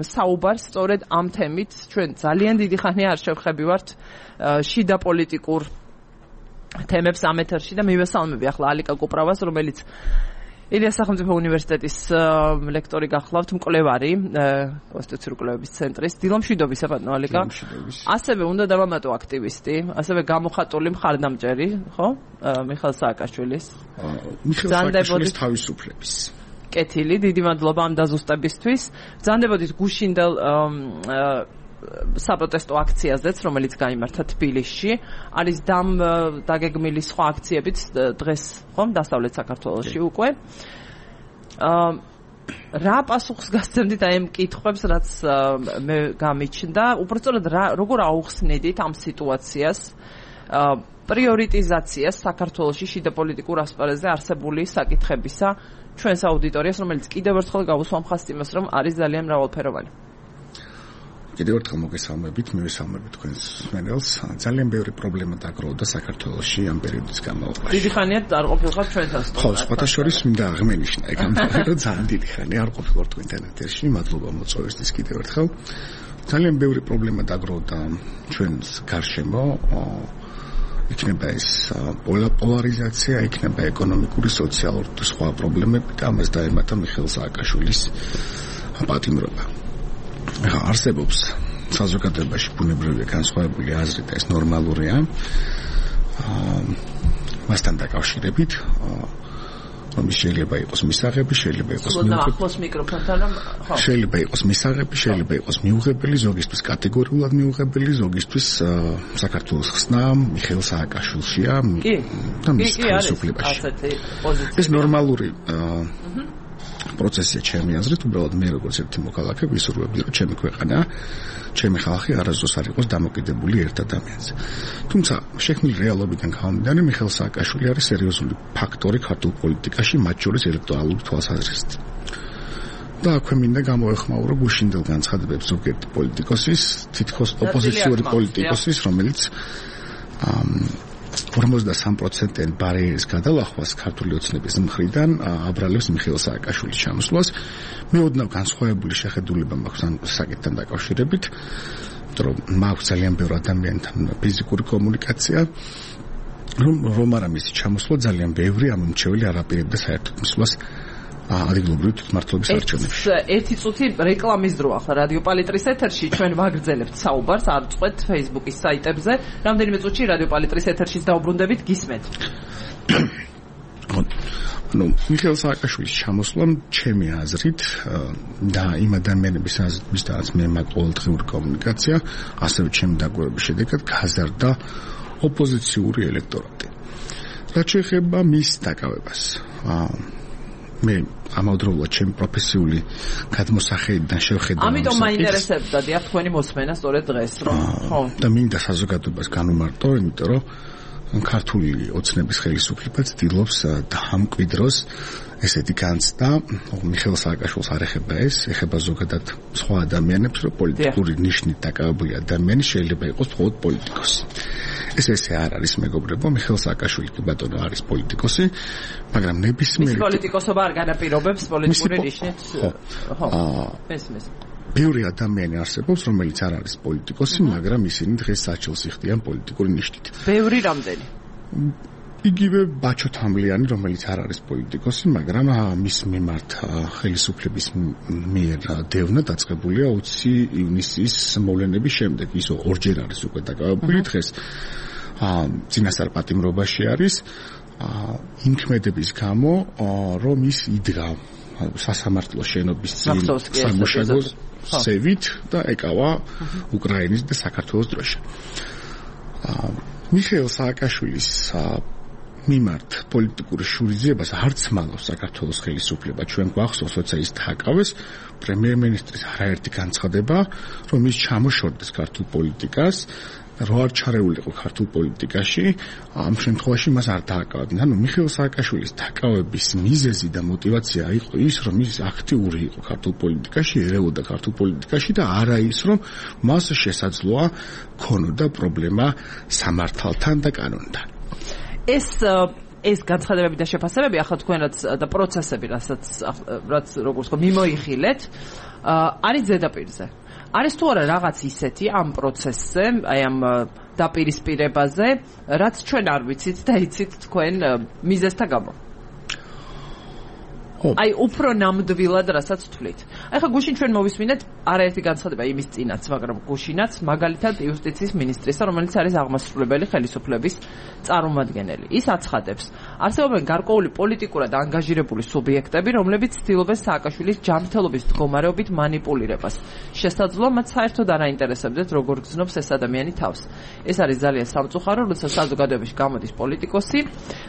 საუბარს სწორედ ამ თემით. ჩვენ ძალიან დიდი ხანია არ შევხებივართ შიდა პოლიტიკურ თემებს ამ ეთერში და მივესალმები ახლა ალიკა კუპრავას, რომელიც ილიას სახელმწიფო უნივერსიტეტის ლექტორი გახლავთ, მკვლევარი კონსტიტუციური კვლევების ცენტრის. დილომშვიდობისა ბატონო ალიკა. ასევე უნდა დავამატო აქტივისტი, ასევე გამოხატული მხარდამჭერი, ხო? მიხეილ სააკაშვილის. მიხეილ სააკაშვილის თავისუფლების. კეთილი, დიდი მადლობა ამ დაზუსტებისთვის. ბრძანდებოდით გუშინდელ საპროტესტო აქციაზეც, რომელიც გაიმართა თბილისში, არის დაგეგმილი სხვა აქციებიც დღეს, ხომ, დასავლეთ საქართველოში უკვე. რა პასუხს გასცემდით აი ამ კითხვებს, რაც მე გამიჩნდა, უბრალოდ როგორ აუხსნედით ამ სიტუაციას, პრიორიტიზაციას საქართველოში შიდა პოლიტიკურ ასპარეზზე არსებული საკითხებისა ჩვენს აუდიტორიას, რომელიც კიდევ ერთხელ გავუსვამხასთ იმას, რომ არის ძალიან მრავალფეროვანი. კიდევ ერთხელ მოგესალმებით, მივესალმებით თქვენს მსმენელს. ძალიან ბევრი პრობლემა დაგროვდა საქართველოში ამ პერიოდის განმავლობაში. დიდი ხანია არ ყოფილიყავ ჩვენთან. ხო, სხვათა შორის მინდა აღმენიშნა, ეგ ამბობ, ძალიან დიდი ხანია არ ყოფილიყავ თქვენთან ეთერში. მადლობა მოწვევისთვის კიდევ ერთხელ. ძალიან ბევრი პრობლემა დაგროვდა ჩვენს გარშემო. იქნება ეს პოლარიზაცია, იქნება ეკონომიკური, სოციალური და სხვა პრობლემები და ამას დაემატა მიხეილ სააკაშვილის პატიმრობა. არსებობს საზოგადოებაში ბუნებრივი განსხვავებული აზრი და ეს ნორმალურია. მასთან დაკავშირებით, რომ შეიძლება იყოს მისაღები, შეიძლება იყოს შეიძლება იყოს მისაღები, შეიძლება იყოს მიუღებელი, ზოგისთვის კატეგორიულად მიუღებელი, ზოგისთვის საქართველოს ხსნა მიხეილ სააკაშვილშია და მის თავისუფლებაში. ეს ნორმალური პროცესია ჩემი აზრით, უბრალოდ მე როგორც ერთი მოქალაქე ვისურვებდი, რომ ჩემი ქვეყანა, ჩემი ხალხი არასდროს არ იყოს დამოკიდებული ერთ ადამიანზე. თუმცა შექმნილი რეალობიდან გამომდინარე, მიხეილ სააკაშვილი არის სერიოზული ფაქტორი ქართულ პოლიტიკაში, მათ შორის ელექტორალური თვალსაზრისით. და აქვე მინდა გამოეხმაურო გუშინდელ განცხადებებს ზოგიერთი პოლიტიკოსის, თითქოს ოპოზიციური პოლიტიკოსის, რომელიც 53%-იან ბარიერის გადალახვას ქართული ოცნების მხრიდან აბრალებს მიხეილ სააკაშვილის ჩამოსვლას. მე ოდნავ განსხვავებული შეხედულება მაქვს ამ საკითხთან დაკავშირებით, რომ მაქვს ძალიან ბევრი ადამიანთან ფიზიკური კომუნიკაცია, რომ არა მისი ჩამოსვლა ძალიან ბევრი ამომრჩეველი არ აპირებდა საერთოდ მისვლას ადგილობრივი თვითმმართველობის არჩევნებში. ერთი წუთი რეკლამის დრო ახლა რადიო პალიტრის ეთერში ჩვენ ვაგრძელებთ საუბარს, არ წყვეთ Facebook-ის საიტებზე. რამდენიმე წუთში რადიო პალიტრის ეთერშიც დაუბრუნდებით, გისმენთ. მიხეილ სააკაშვილის ჩამოსვლამ ჩემი აზრით და იმ ადამიანების აზრით, ვისთანაც მე მაქვს ყოველდღიური კომუნიკაცია, ასევე ჩემი დაკვირვების შედეგად გაზარდა ოპოზიციური ელექტორატი. რაც შეეხება მის დაკავებას, მე ამავდროულად ჩემი პროფესიული გადმოსახედიდან შევხედავ. ამიტომ მაინტერესებდა დიახ თქვენი მოსმენა სწორედ დღეს, რომ ხო. და მინდა საზოგადოებას განვმარტო, იმიტომ რომ ქართული ოცნების ხელისუფლება ცდილობს დაამკვიდროს ესეთი განცდა, მიხეილ სააკაშვილს არ ეხება ეს, ეხება ზოგადად სხვა ადამიანებს, რომ პოლიტიკური ნიშნით დაკავებული ადამიანი შეიძლება იყოს მხოლოდ პოლიტიკოსი. ესე არ არის მეგობრებო, მიხეილ სააკაშვილი კი ბატონო არის პოლიტიკოსი, მაგრამ ნებისმიერი პოლიტიკოსობა არ განაპირობებს პოლიტიკური ნიშნით. ხო. მესმის. ბევრი ადამიანი არსებობს, რომელიც არ არის პოლიტიკოსი, მაგრამ ისინი დღეს საჩელს იხდიან პოლიტიკური ნიშნით. ბევრი რამდენი? იგივე ბაჩო თამლიანი, რომელიც არ არის პოლიტიკოსი, მაგრამ მის მიმართ ხელისუფლების მიერ დევნა დაწყებულია 20 ივნისის მოვლენების შემდეგ. ის ორჯერ არის უკვე დაკავებული დღეს. წინასწარ პატიმრობაში არის იმ ქმედების გამო, რომ ის იდგა სასამართლო შენობის წინ სამუშაოს სევით და ეკავა უკრაინის და საქართველოს დროშა. მიხეილ სააკაშვილის მიმართ პოლიტიკური შურისძიებას არც მალავს საქართველოს ხელისუფლება. ჩვენ გვახსოვს, როცა ის დააკავეს პრემიერ-მინისტრის არაერთი განცხადება, რომ ის ჩამოშორდეს ქართულ პოლიტიკას, რო არ ჩარეულიყო ქართულ პოლიტიკაში, ამ შემთხვევაში მას არ დააკავებდნენ. ანუ მიხეილ სააკაშვილის დაკავების მიზეზი და мотиваცია იყო ის, რომ ის აქტიური იყო ქართულ პოლიტიკაში, ერეოდა ქართულ პოლიტიკაში და არა ის, რომ მას შესაძლოა ქონოდა პრობლემა სამართალთან და კანონთან. ეს განცხადებები და შეფასებები ახლა თქვენ და პროცესები, რაც როგორც თქო მიმოიხილეთ, არის ზედაპირზე. არის თუ არა რაღაც ისეთი ამ პროცესზე, აი ამ დაპირისპირებაზე, რაც ჩვენ არ ვიცით და იცით თქვენ მიზეზთა გამო. აი უფრო ნამდვილად რასაც თვლით. აი ხა გუშინ ჩვენ მოვისმინეთ არაერთი განცხადება იმის წინაც, მაგრამ გუშინაც მაგალითად იუსტიციის მინისტრისა, რომელიც არის აღმასრულებელი ხელისუფლების წარმომადგენელი. ის აცხადებს, არსებობენ გარკვეული პოლიტიკურად ანგაჟირებული სუბიექტები, რომლებიც ცდილობენ სააკაშვილის ჯანმრთელობის მდგომარეობით манипуლირებას. შესაძლოა მათ საერთოდ არ აინტერესებდეთ, როგორ გრძნობს ეს ადამიანი თავს. ეს არის ძალიან სამწუხარო, როცა საზოგადოებაში გამოდის პოლიტიკოსი,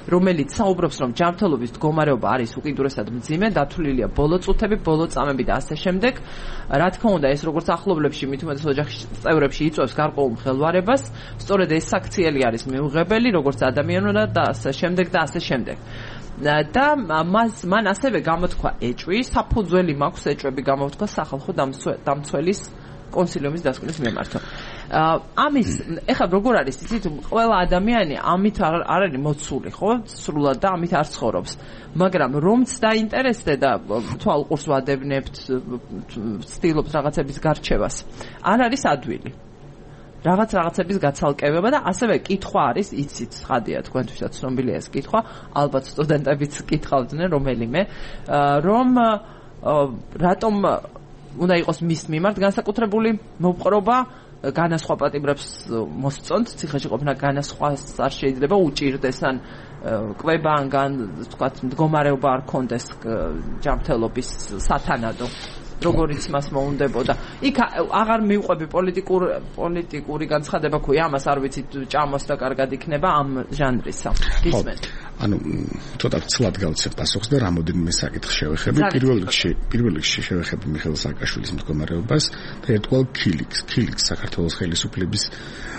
რომელიც საუბრობს, რომ ჯანმრთელობის მდგომარეობა არის უკიდურესად მძიმე, დათვლილია ბოლო წუთები, ბოლო წამები და ასე შემდეგ. რა თქმა უნდა, ეს როგორც ახლობლებში, მით უმეტეს ოჯახის წევრებში იწვევს გარკვეულ მღელვარებას, სწორედ ეს საქციელი არის მიუღებელი, როგორც ადამიანურად და ასე შემდეგ და ასე შემდეგ. და მან ასევე გამოთქვა ეჭვი, საფუძველი მაქვს ეჭვები გამოთქვა სახალხო დამცველის კონსილიუმის დასკვნის მიმართო. ამის ეხლა როგორ არის იცით, ყველა ადამიანი ამით არ არის მოცული, ხო? სრულად და ამით არ ცხოვრობს. მაგრამ რომც დაინტერესდე და თვალყურს ვადევნებთ, ცდილობთ რაღაცების გარჩევას, არ არის ადვილი. რაღაცების გაცალკევება და ასევე კითხვა არის, იცით, ხადია თქვენთვისაც ცნობილია ეს კითხვა, ალბათ სტუდენტებიც კითხავდნენ რომელიმე, რომ რატომ უნდა იყოს მის მიმართ განსაკუთრებული მოპყრობა, განასხვა პატიმრებს მოსწონთ, ციხეში ყოფნა განასხვას არ შეიძლება უჭირდეს, ან კვება, ან თქვათ მდგომარეობა არ კონდეს ჯანმრთელობის სათანადო, როგორიც მას მოუნდებოდა. იქ აღარ მივყვები პოლიტიკური განცხადება ქვია, ამას არ ვიცით, ჭამოს და კარგად იქნება ამ ჟანრისა. გისმენთ. ანუ ცოტა ცლად გავცე პასუხს და რამოდენიმე საკითხს შევეხები. პირველ რიგში შევეხები მიხეილ სააკაშვილის მდგომარეობას და ერთგვარ ქილიქს საქართველოს ხელისუფლების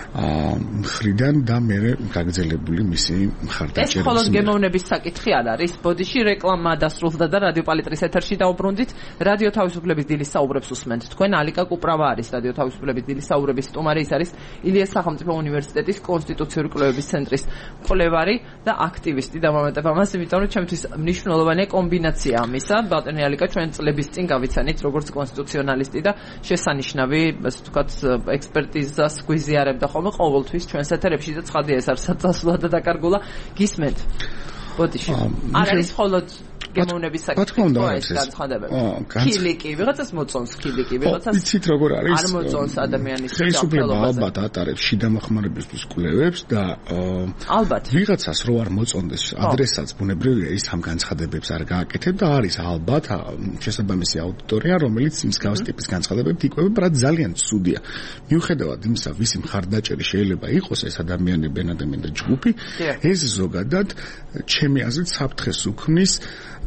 მხრიდან და მე გაგრძელებული მისი მხარდაჭერა. ეს მხოლოდ გემოვნების საკითხი არ არის. ბოდიში რეკლამა დასრულდა და რადიო პალიტრის ეთერში დაუბრუნდით. რადიო თავისუფლების დილის საუბრებს უსმენთ. თქვენ ალიკა კუპრავა არის რადიო თავისუფლების დილის საუბრების სტუმარი, ის არის ილიას სახელმწიფო უნივერსიტეტის კონსტიტუციური კვლევების ცენტრის მკვლევარი და აქტივისტი. დამამატებ ამას, იმიტომ რომ ჩემთვის მნიშვნელოვანი კომბინაცია ამისა. ბატონი ალიკა ჩვენ წლების წინ გავიცანით როგორც კონსტიტუციონალისტი და შესანიშნავი, ასე ვთქვათ, ექსპერტიზას გვიზიარებდა ხოლმე ყოველთვის ჩვენს ეთერებში და ცხადია ეს არის საწასულად და დაკარგულა გისმენთ. ბოდიში. არ არის მხოლოდ გემოვნების საკითხი, ეს განცხადებები. ქილიკი, ვიღაცას მოწონს ქილიკი, ვიღაცას იცით როგორ არის? არ მოწონს ადამიანის ხელისუფლება ალბათ ატარებს შიდა მოხმარებისთვის კვლევებს და ალბათ ვიღაცას რო არ მოწონდეს ადრესაც ბუნებრივია ის ამ განცხადებებს არ გააკეთებ და არის ალბათ შესაბამისი აუდიტორია, რომელიც მსგავს ტიპის განცხადებებით იკვებება, რაც ძალიან ცუდია. მიუხედავად იმისა, ვისი მხარდაჭერი შეიძლება იყოს ეს ადამიანები და ჯგუფი, ეს ზოგადად ჩემი აზრით საფრთხეს უქმნის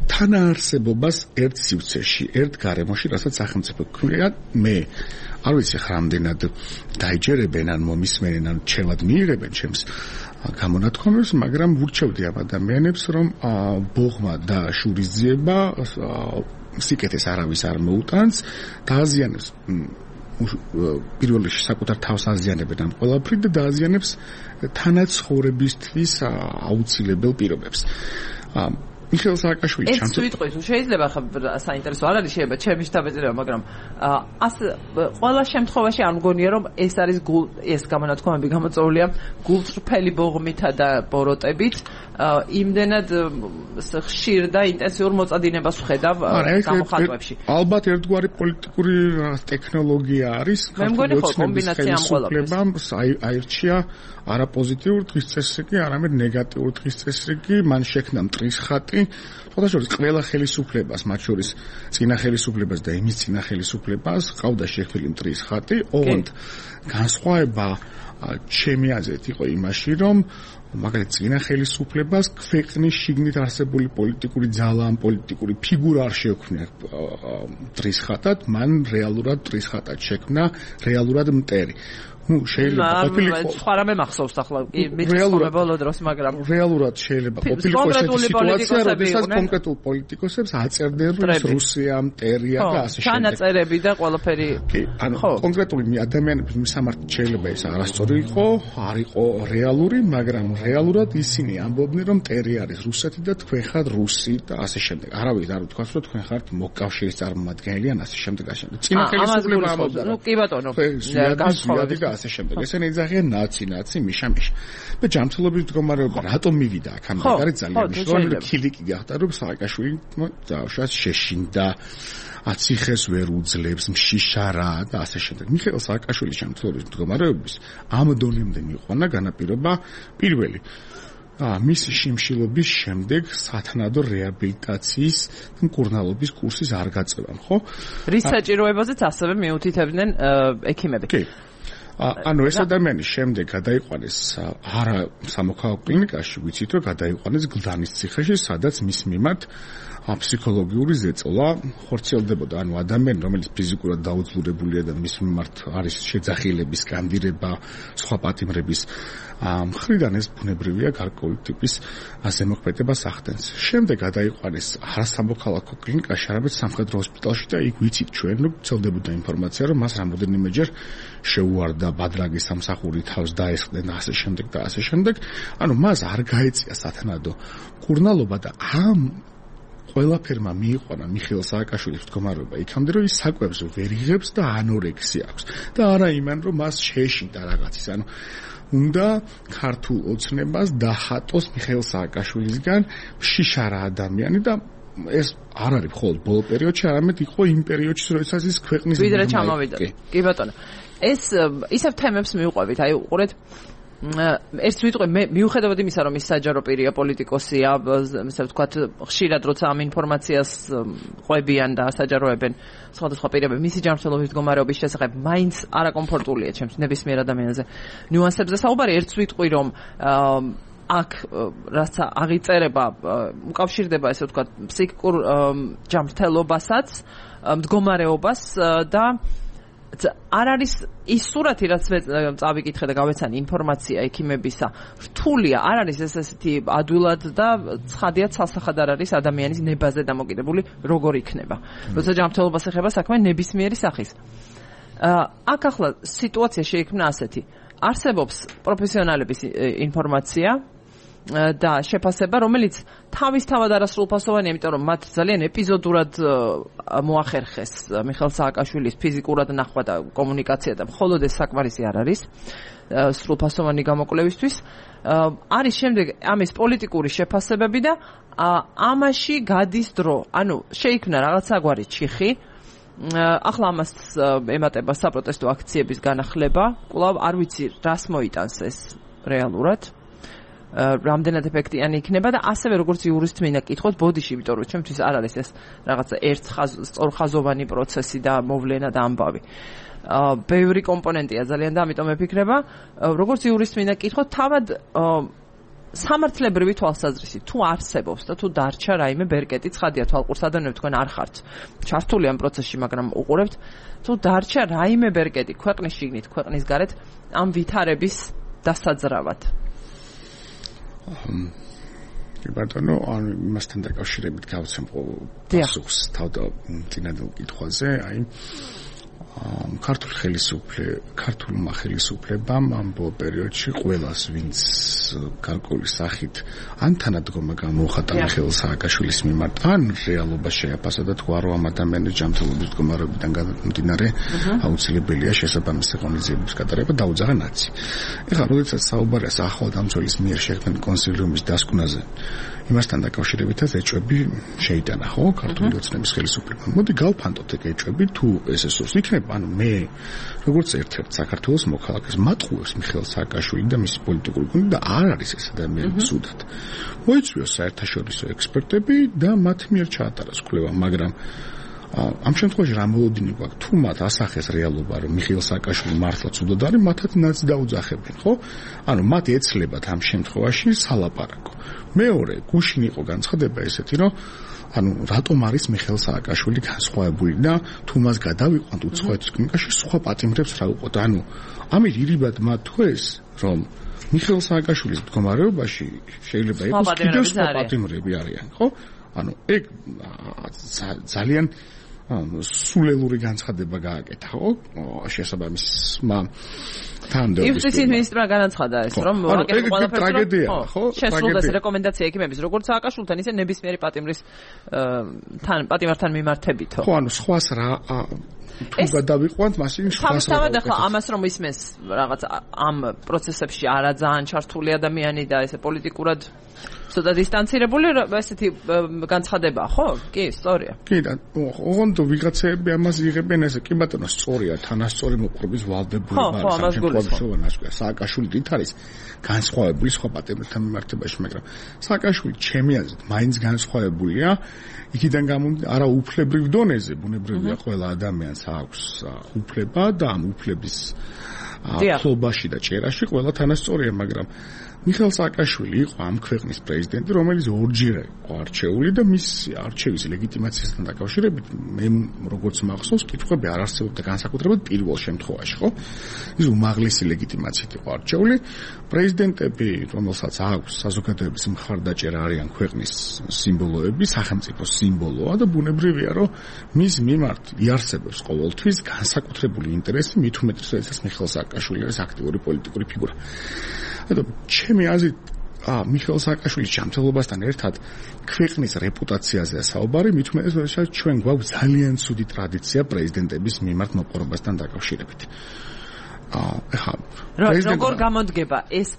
თანაარსებობას ერთ სივრცეში, ერთ გარემოში, რასაც სახელმწიფო ქვია. მე არ ვიცი რამდენად დაიჯერებენ ან მომისმენენ ან ჩემად მიიღებენ ჩემს გამონათქვამებს, მაგრამ ვურჩევდი ამ ადამიანებს, რომ ბოღმა და შურისძიება სიკეთეს არავის არ მოუტანს, დააზიანებს პირველ რიგში საკუთარ თავს აზიანებენ ამ ყველაფრით და დააზიანებს თანაცხოვრებისთვის აუცილებელ პირობებს. მიხეილ სააკაშვილი ეს ვიტყვით, შეიძლება ხა საინტერესო არ არის შეიძლება ჩემი შთაბეჭდილება, მაგრამ ყველა შემთხვევაში არ მგონია რომ ეს არის ეს გამონათქვამები გამოწვეულია გულწრფელი ბოღმითა და ბოროტებით, იმდენად ხშირ და ინტენსიურ მოწადინებას ვხედავ გამოხატვებში. ალბათ ერთგვარი პოლიტიკური ტექნოლოგია არის. მე მგონი ხო კომბინაცია ამ ყველაფრის. აირჩია არა პოზიტიურ დღის წესრიგი, არამედ ნეგატიურ დღის წესრიგი, მან შექმნა მტრის ხატი. შესაძლოა ყველა ხელისუფლებას, მათ შორის წინა ხელისუფლებას და იმის წინა ხელისუფლებას ყავდა შექმნილი მტრის ხატი. ოღონდ განსხვავება ჩემი აზრით იყო იმაში, რომ მაგალითად წინა ხელისუფლებას ქვეყნის შიგნით არსებული პოლიტიკური ძალა, პოლიტიკური ფიგურა არ შექმნა მტრის ხატად, მან რეალურად მტრის ხატად შექმნა რეალურად მტერი. შეიძლება ყოფილიყო სხვა რამე მახსოვს ახლა მიწოდება ბოლო დროს, მაგრამ რეალურად შეიძლება ყოფილიყო ესეთი სიტუაცია, როდესაც კონკრეტულ პოლიტიკოსებს აწერდნენ რომ რუსია მტერია და ასე შემდეგ. ჩანაწერები და ყველაფერი. ანუ კონკრეტული ადამიანების მისამართი შეიძლება ეს არასწორი იყო, არ იყო რეალური, მაგრამ რეალურად ისინი ამბობდნენ რომ მტერი არის რუსეთი და თქვენ ხართ რუსი და ასე შემდეგ. არავის არ უთქვას რომ თქვენ ხართ მოკავშირის წარმომადგენელი ან ასე შემდეგ. წინა ხელისუფლება ამბობდა. ნუ კი ბატონო. განსხვავებით ასე შემდეგ. ესენი იძახიან ნაცი, მიშა-მიშა. და ჯანმრთელობის მდგომარეობა რატომ მივიდა აქ? ამ არის ძალიან მნიშვნელოვანი. ქილიკი გახდა რომ სააკაშვილი დაუშვას შეშინდა, აციხეს ვერ უძლებს, მშიშარა და ასე შემდეგ. მიხეილ სააკაშვილის ჯანმრთელობის მდგომარეობის ამ დონემდე მიყვანა განაპირობა პირველი მისი შიმშილობის შემდეგ სათანადო რეაბილიტაციის მკურნალობის კურსის არ გაწევამ, ხო? რის საჭიროებაზეც ასევე მიუთითებდნენ ექიმები. კი. ანუ ეს ადამიანი შემდეგ გადაიყვანეს არა სამოქალაქო კლინიკაში, ვიცით რომ გადაიყვანეს გლდანის ციხეში, სადაც მის მიმართ ფსიქოლოგიური ზეწოლა ხორციელდებოდა. ანუ ადამიანი, რომელიც ფიზიკურად დაუძლურებულია და მის მიმართ არის შეძახილების, სკანდირება, სხვა პატიმრების მხრიდან ეს ბუნებრივია გარკვეული ტიპის ზემოქმედებას ახდენს. შემდეგ გადაიყვანეს არა სამოქალაქო კლინიკაში, არამედ სამხედრო ჰოსპიტალში და იქ ვიცით ჩვენ, რომ ვრცელდებოდა ინფორმაცია, რომ მას რამოდენიმეჯერ შეუარდა ბადრაგის სამსახური, თავს დაესხდნენ და ასე შემდეგ და ასე შემდეგ. ანუ მას არ გაეწია სათანადო მკურნალობა და ამ ყველაფერმა მიიყვანა მიხეილ სააკაშვილის მდგომარეობა იქამდე, რომ ის საკვებს ვერ იღებს და ანორექსია აქვს. და არა იმან, რომ მას შეეშინდა რაღაცის. ანუ უნდა ქართულ ოცნებას დახატოს მიხეილ სააკაშვილისგან შიშარა ადამიანი და ეს არ არის მხოლოდ ბოლო პერიოდში, არამედ იყო იმ პერიოდში, როდესაც ის ქვეყნის ვიდრე ჩამოვიდა. კი ბატონო. ეს ისევ თემებს მივყვებით, აი უყურეთ ეს ვიტყვი მე მიუხედავად იმისა რომ ის საჯარო პირია პოლიტიკოსია, ასე ვთქვათ ხშირად როცა ამ ინფორმაციას ყვებიან და საჯაროებენ სხვადასხვა პირები მისი ჯანმრთელობის მდგომარეობის შესახებ მაინც არაკომფორტულია ჩემს ნებისმიერ ადამიანზე ნიუანსებზე საუბარი. ერთ ვიტყვი რომ აქ რაც აღიწერება უკავშირდება ესე ვთქვათ ფსიქიკურ ჯანმრთელობასაც, მდგომარეობას და არ არის ის სურათი, რაც წავიკითხე და გავეცანი ინფორმაცია ექიმებისა, რთულია, არ არის ესეთი ადვილად და ცხადია ცალსახად არ არის ადამიანის ნებაზე დამოკიდებული როგორ იქნება. როცა ჯანმრთელობას ეხება საქმე ნებისმიერი სახის. აქ ახლა სიტუაცია შეიქმნა ასეთი. არსებობს პროფესიონალების ინფორმაცია და შეფასება, რომელიც თავისთავად არასრულფასოვანია, იმიტომ რომ მათ ძალიან ეპიზოდურად მოახერხეს მიხეილ სააკაშვილის ფიზიკურად ნახვა და კომუნიკაცია და მხოლოდ ეს საკმარისი არ არის სრულფასოვანი გამოკვლევისთვის. არის შემდეგ ამის პოლიტიკური შეფასებები და ამაში გადის დრო. ანუ შეიქმნა რაღაცაგვარი ჩიხი. ახლა ამას ემატება საპროტესტო აქციების განახლება. კვლავ არ ვიცი რას მოიტანს ეს რეალურად. რამდენად ეფექტიანი იქნება და ასევე როგორც იურისტ მინდა კითხოთ ბოდიში, იმიტომ რომ ჩემთვის არ არის ეს რაღაცა სწორხაზოვანი პროცესი და მოვლენა და ამბავი. ბევრი კომპონენტია ძალიან და ამიტომ მეფიქრება, როგორც იურისტ მინდა კითხოთ თავად სამართლებრივი თვალსაზრისით თუ არსებობს და თუ დარჩა რაიმე ბერკეტი, ცხადია თვალყურს ადამიანებს თქვენ არ ხართ ჩართული ამ პროცესში, მაგრამ უყურებთ, თუ დარჩა რაიმე ბერკეტი ქვეყნის შიგნით, ქვეყნის გარეთ ამ ვითარების დასაძრავად. ბატონო, ან იმასთან დაკავშირებით გავცემ პასუხს თავდაპირველად კითხვაზე, აი ქართულმა ხელისუფლებამ ამ პერიოდში ყველას, ვინც გარკვეული სახით ან თანადგომა გამოუხატა მიხეილ სააკაშვილის მიმართ, ან რეალობა შეაფასა და თქვა, რომ ამ ადამიანის ჯანმრთელობის მდგომარეობიდან გამომდინარე აუცილებელია შესაბამისი ღონისძიებების გატარება დაუძაღა ნაცი. ეხლა, როდესაც საუბარია საახალდამცველის მიერ შექმნილ კონსილიუმის დასკვნაზე, იმასთან დაკავშირებითაც ეჭვები შეიტანა, ხო, ქართული ოცნების ხელისუფლებამ. მოდი გავფანტოთ ეგ ეჭვები, თუ ეს სურს იქნება, ანუ მე როგორც ერთ-ერთ საქართველოს მოქალაქეს მატყუებს მიხეილ სააკაშვილი და მისი პოლიტიკური გუნდი და არ არის ეს ადამიანი სუდად. მოიწვიოს საერთაშორისო ექსპერტები და მათ მიერ ჩაატაროს კვლევა, მაგრამ ამ შემთხვევაში რა მოლოდინი გვაქვს, თუ მათ ასახეს რეალობა, რომ მიხეილ სააკაშვილი მართლაც უდოდ არის, მათაც ნაც დაუძახებენ, ხო? ანუ მათ ეცლებათ ამ შემთხვევაში სალაპარაკო. მეორე, გუშინ იყო განცხადება ესეთი, რომ ანუ რატომ არის მიხეილ სააკაშვილი განსხვავებული და თუ მას გადავიყვანთ უცხოეთის კლინიკაში, სხვა პატიმრებს რა უყოთ. ანუ ამით ირიბად მათ თქვეს, რომ მიხეილ სააკაშვილის მდგომარეობაში შეიძლება იყოს კიდევ სხვა პატიმრები არიან, ხო? ანუ ეგ ძალიან სულელური განცხადება გააკეთა, ხო? შესაბამისმა თანამდებობის. იუსტიციის მინისტრმა განაცხადა ეს, რომ ეგ ტრაგედია, ხო? შესრულდეს რეკომენდაცია ექიმების, როგორც სააკაშვილთან, ისე ნებისმიერი პატიმრის პატიმართან მიმართებით. ხო, ანუ სხვას რა თუ გადავიყვანთ, მასინ სხვას რა. თავისთავად ახლა ამას რომ ისმეს რაღაც ამ პროცესებში არა ძალიან ჩართული ადამიანი და ესე პოლიტიკურად ცოტა დისტანცირებული ესეთი განცხადება, ხო? კი, სწორია. კი, და ოღონდ ვიღაცები ამას იღებენ ესე, კი ბატონო, სწორია, თანასწორი მოყრობის ვალდებულება არის. სააკაშვილი დიდ არის განსხვავებული სხვა პატიმრებთან მიმართებაში, მაგრამ სააკაშვილი ჩემი აზრით მაინც განსხვავებულია. იქიდან გამომდინარე, არა უფლებრივ დონეზე, ბუნებრივია ყველა ადამიანს აქვს უფლება და ამ უფლების ფლობაში და ჭერაში ყველა თანასწორია, მაგრამ მიხეილ სააკაშვილი იყო ამ ქვეყნის პრეზიდენტი, რომელიც ორჯერ იყო არჩეული და მის არჩევის ლეგიტიმაციასთან დაკავშირებით მე როგორც მახსოვს, კითხვები არ არსებობდა განსაკუთრებად პირველ შემთხვევაში, ხო? ის უმაღლესი ლეგიტიმაციით იყო არჩეული. პრეზიდენტები, რომელსაც აქვს საზოგადოების მხარდაჭერა, არიან ქვეყნის სიმბოლოები, სახელმწიფოს სიმბოლოა და ბუნებრივია, რომ მის მიმართ იარსებებს ყოველთვის განსაკუთრებული ინტერესი, მით უმეტეს, როდესაც მიხეილ სააკაშვილი არის აქტიური პოლიტიკური ფიგურა. ჩემი აზრით, მიხეილ სააკაშვილის ჯანმრთელობასთან ერთად ქვეყნის რეპუტაციაზეა საუბარი, მით უმეტეს, როდესაც ჩვენ გვაქვს ძალიან ცუდი ტრადიცია პრეზიდენტების მიმართ მოპყრობასთან დაკავშირებით. როგორ გამოდგება ეს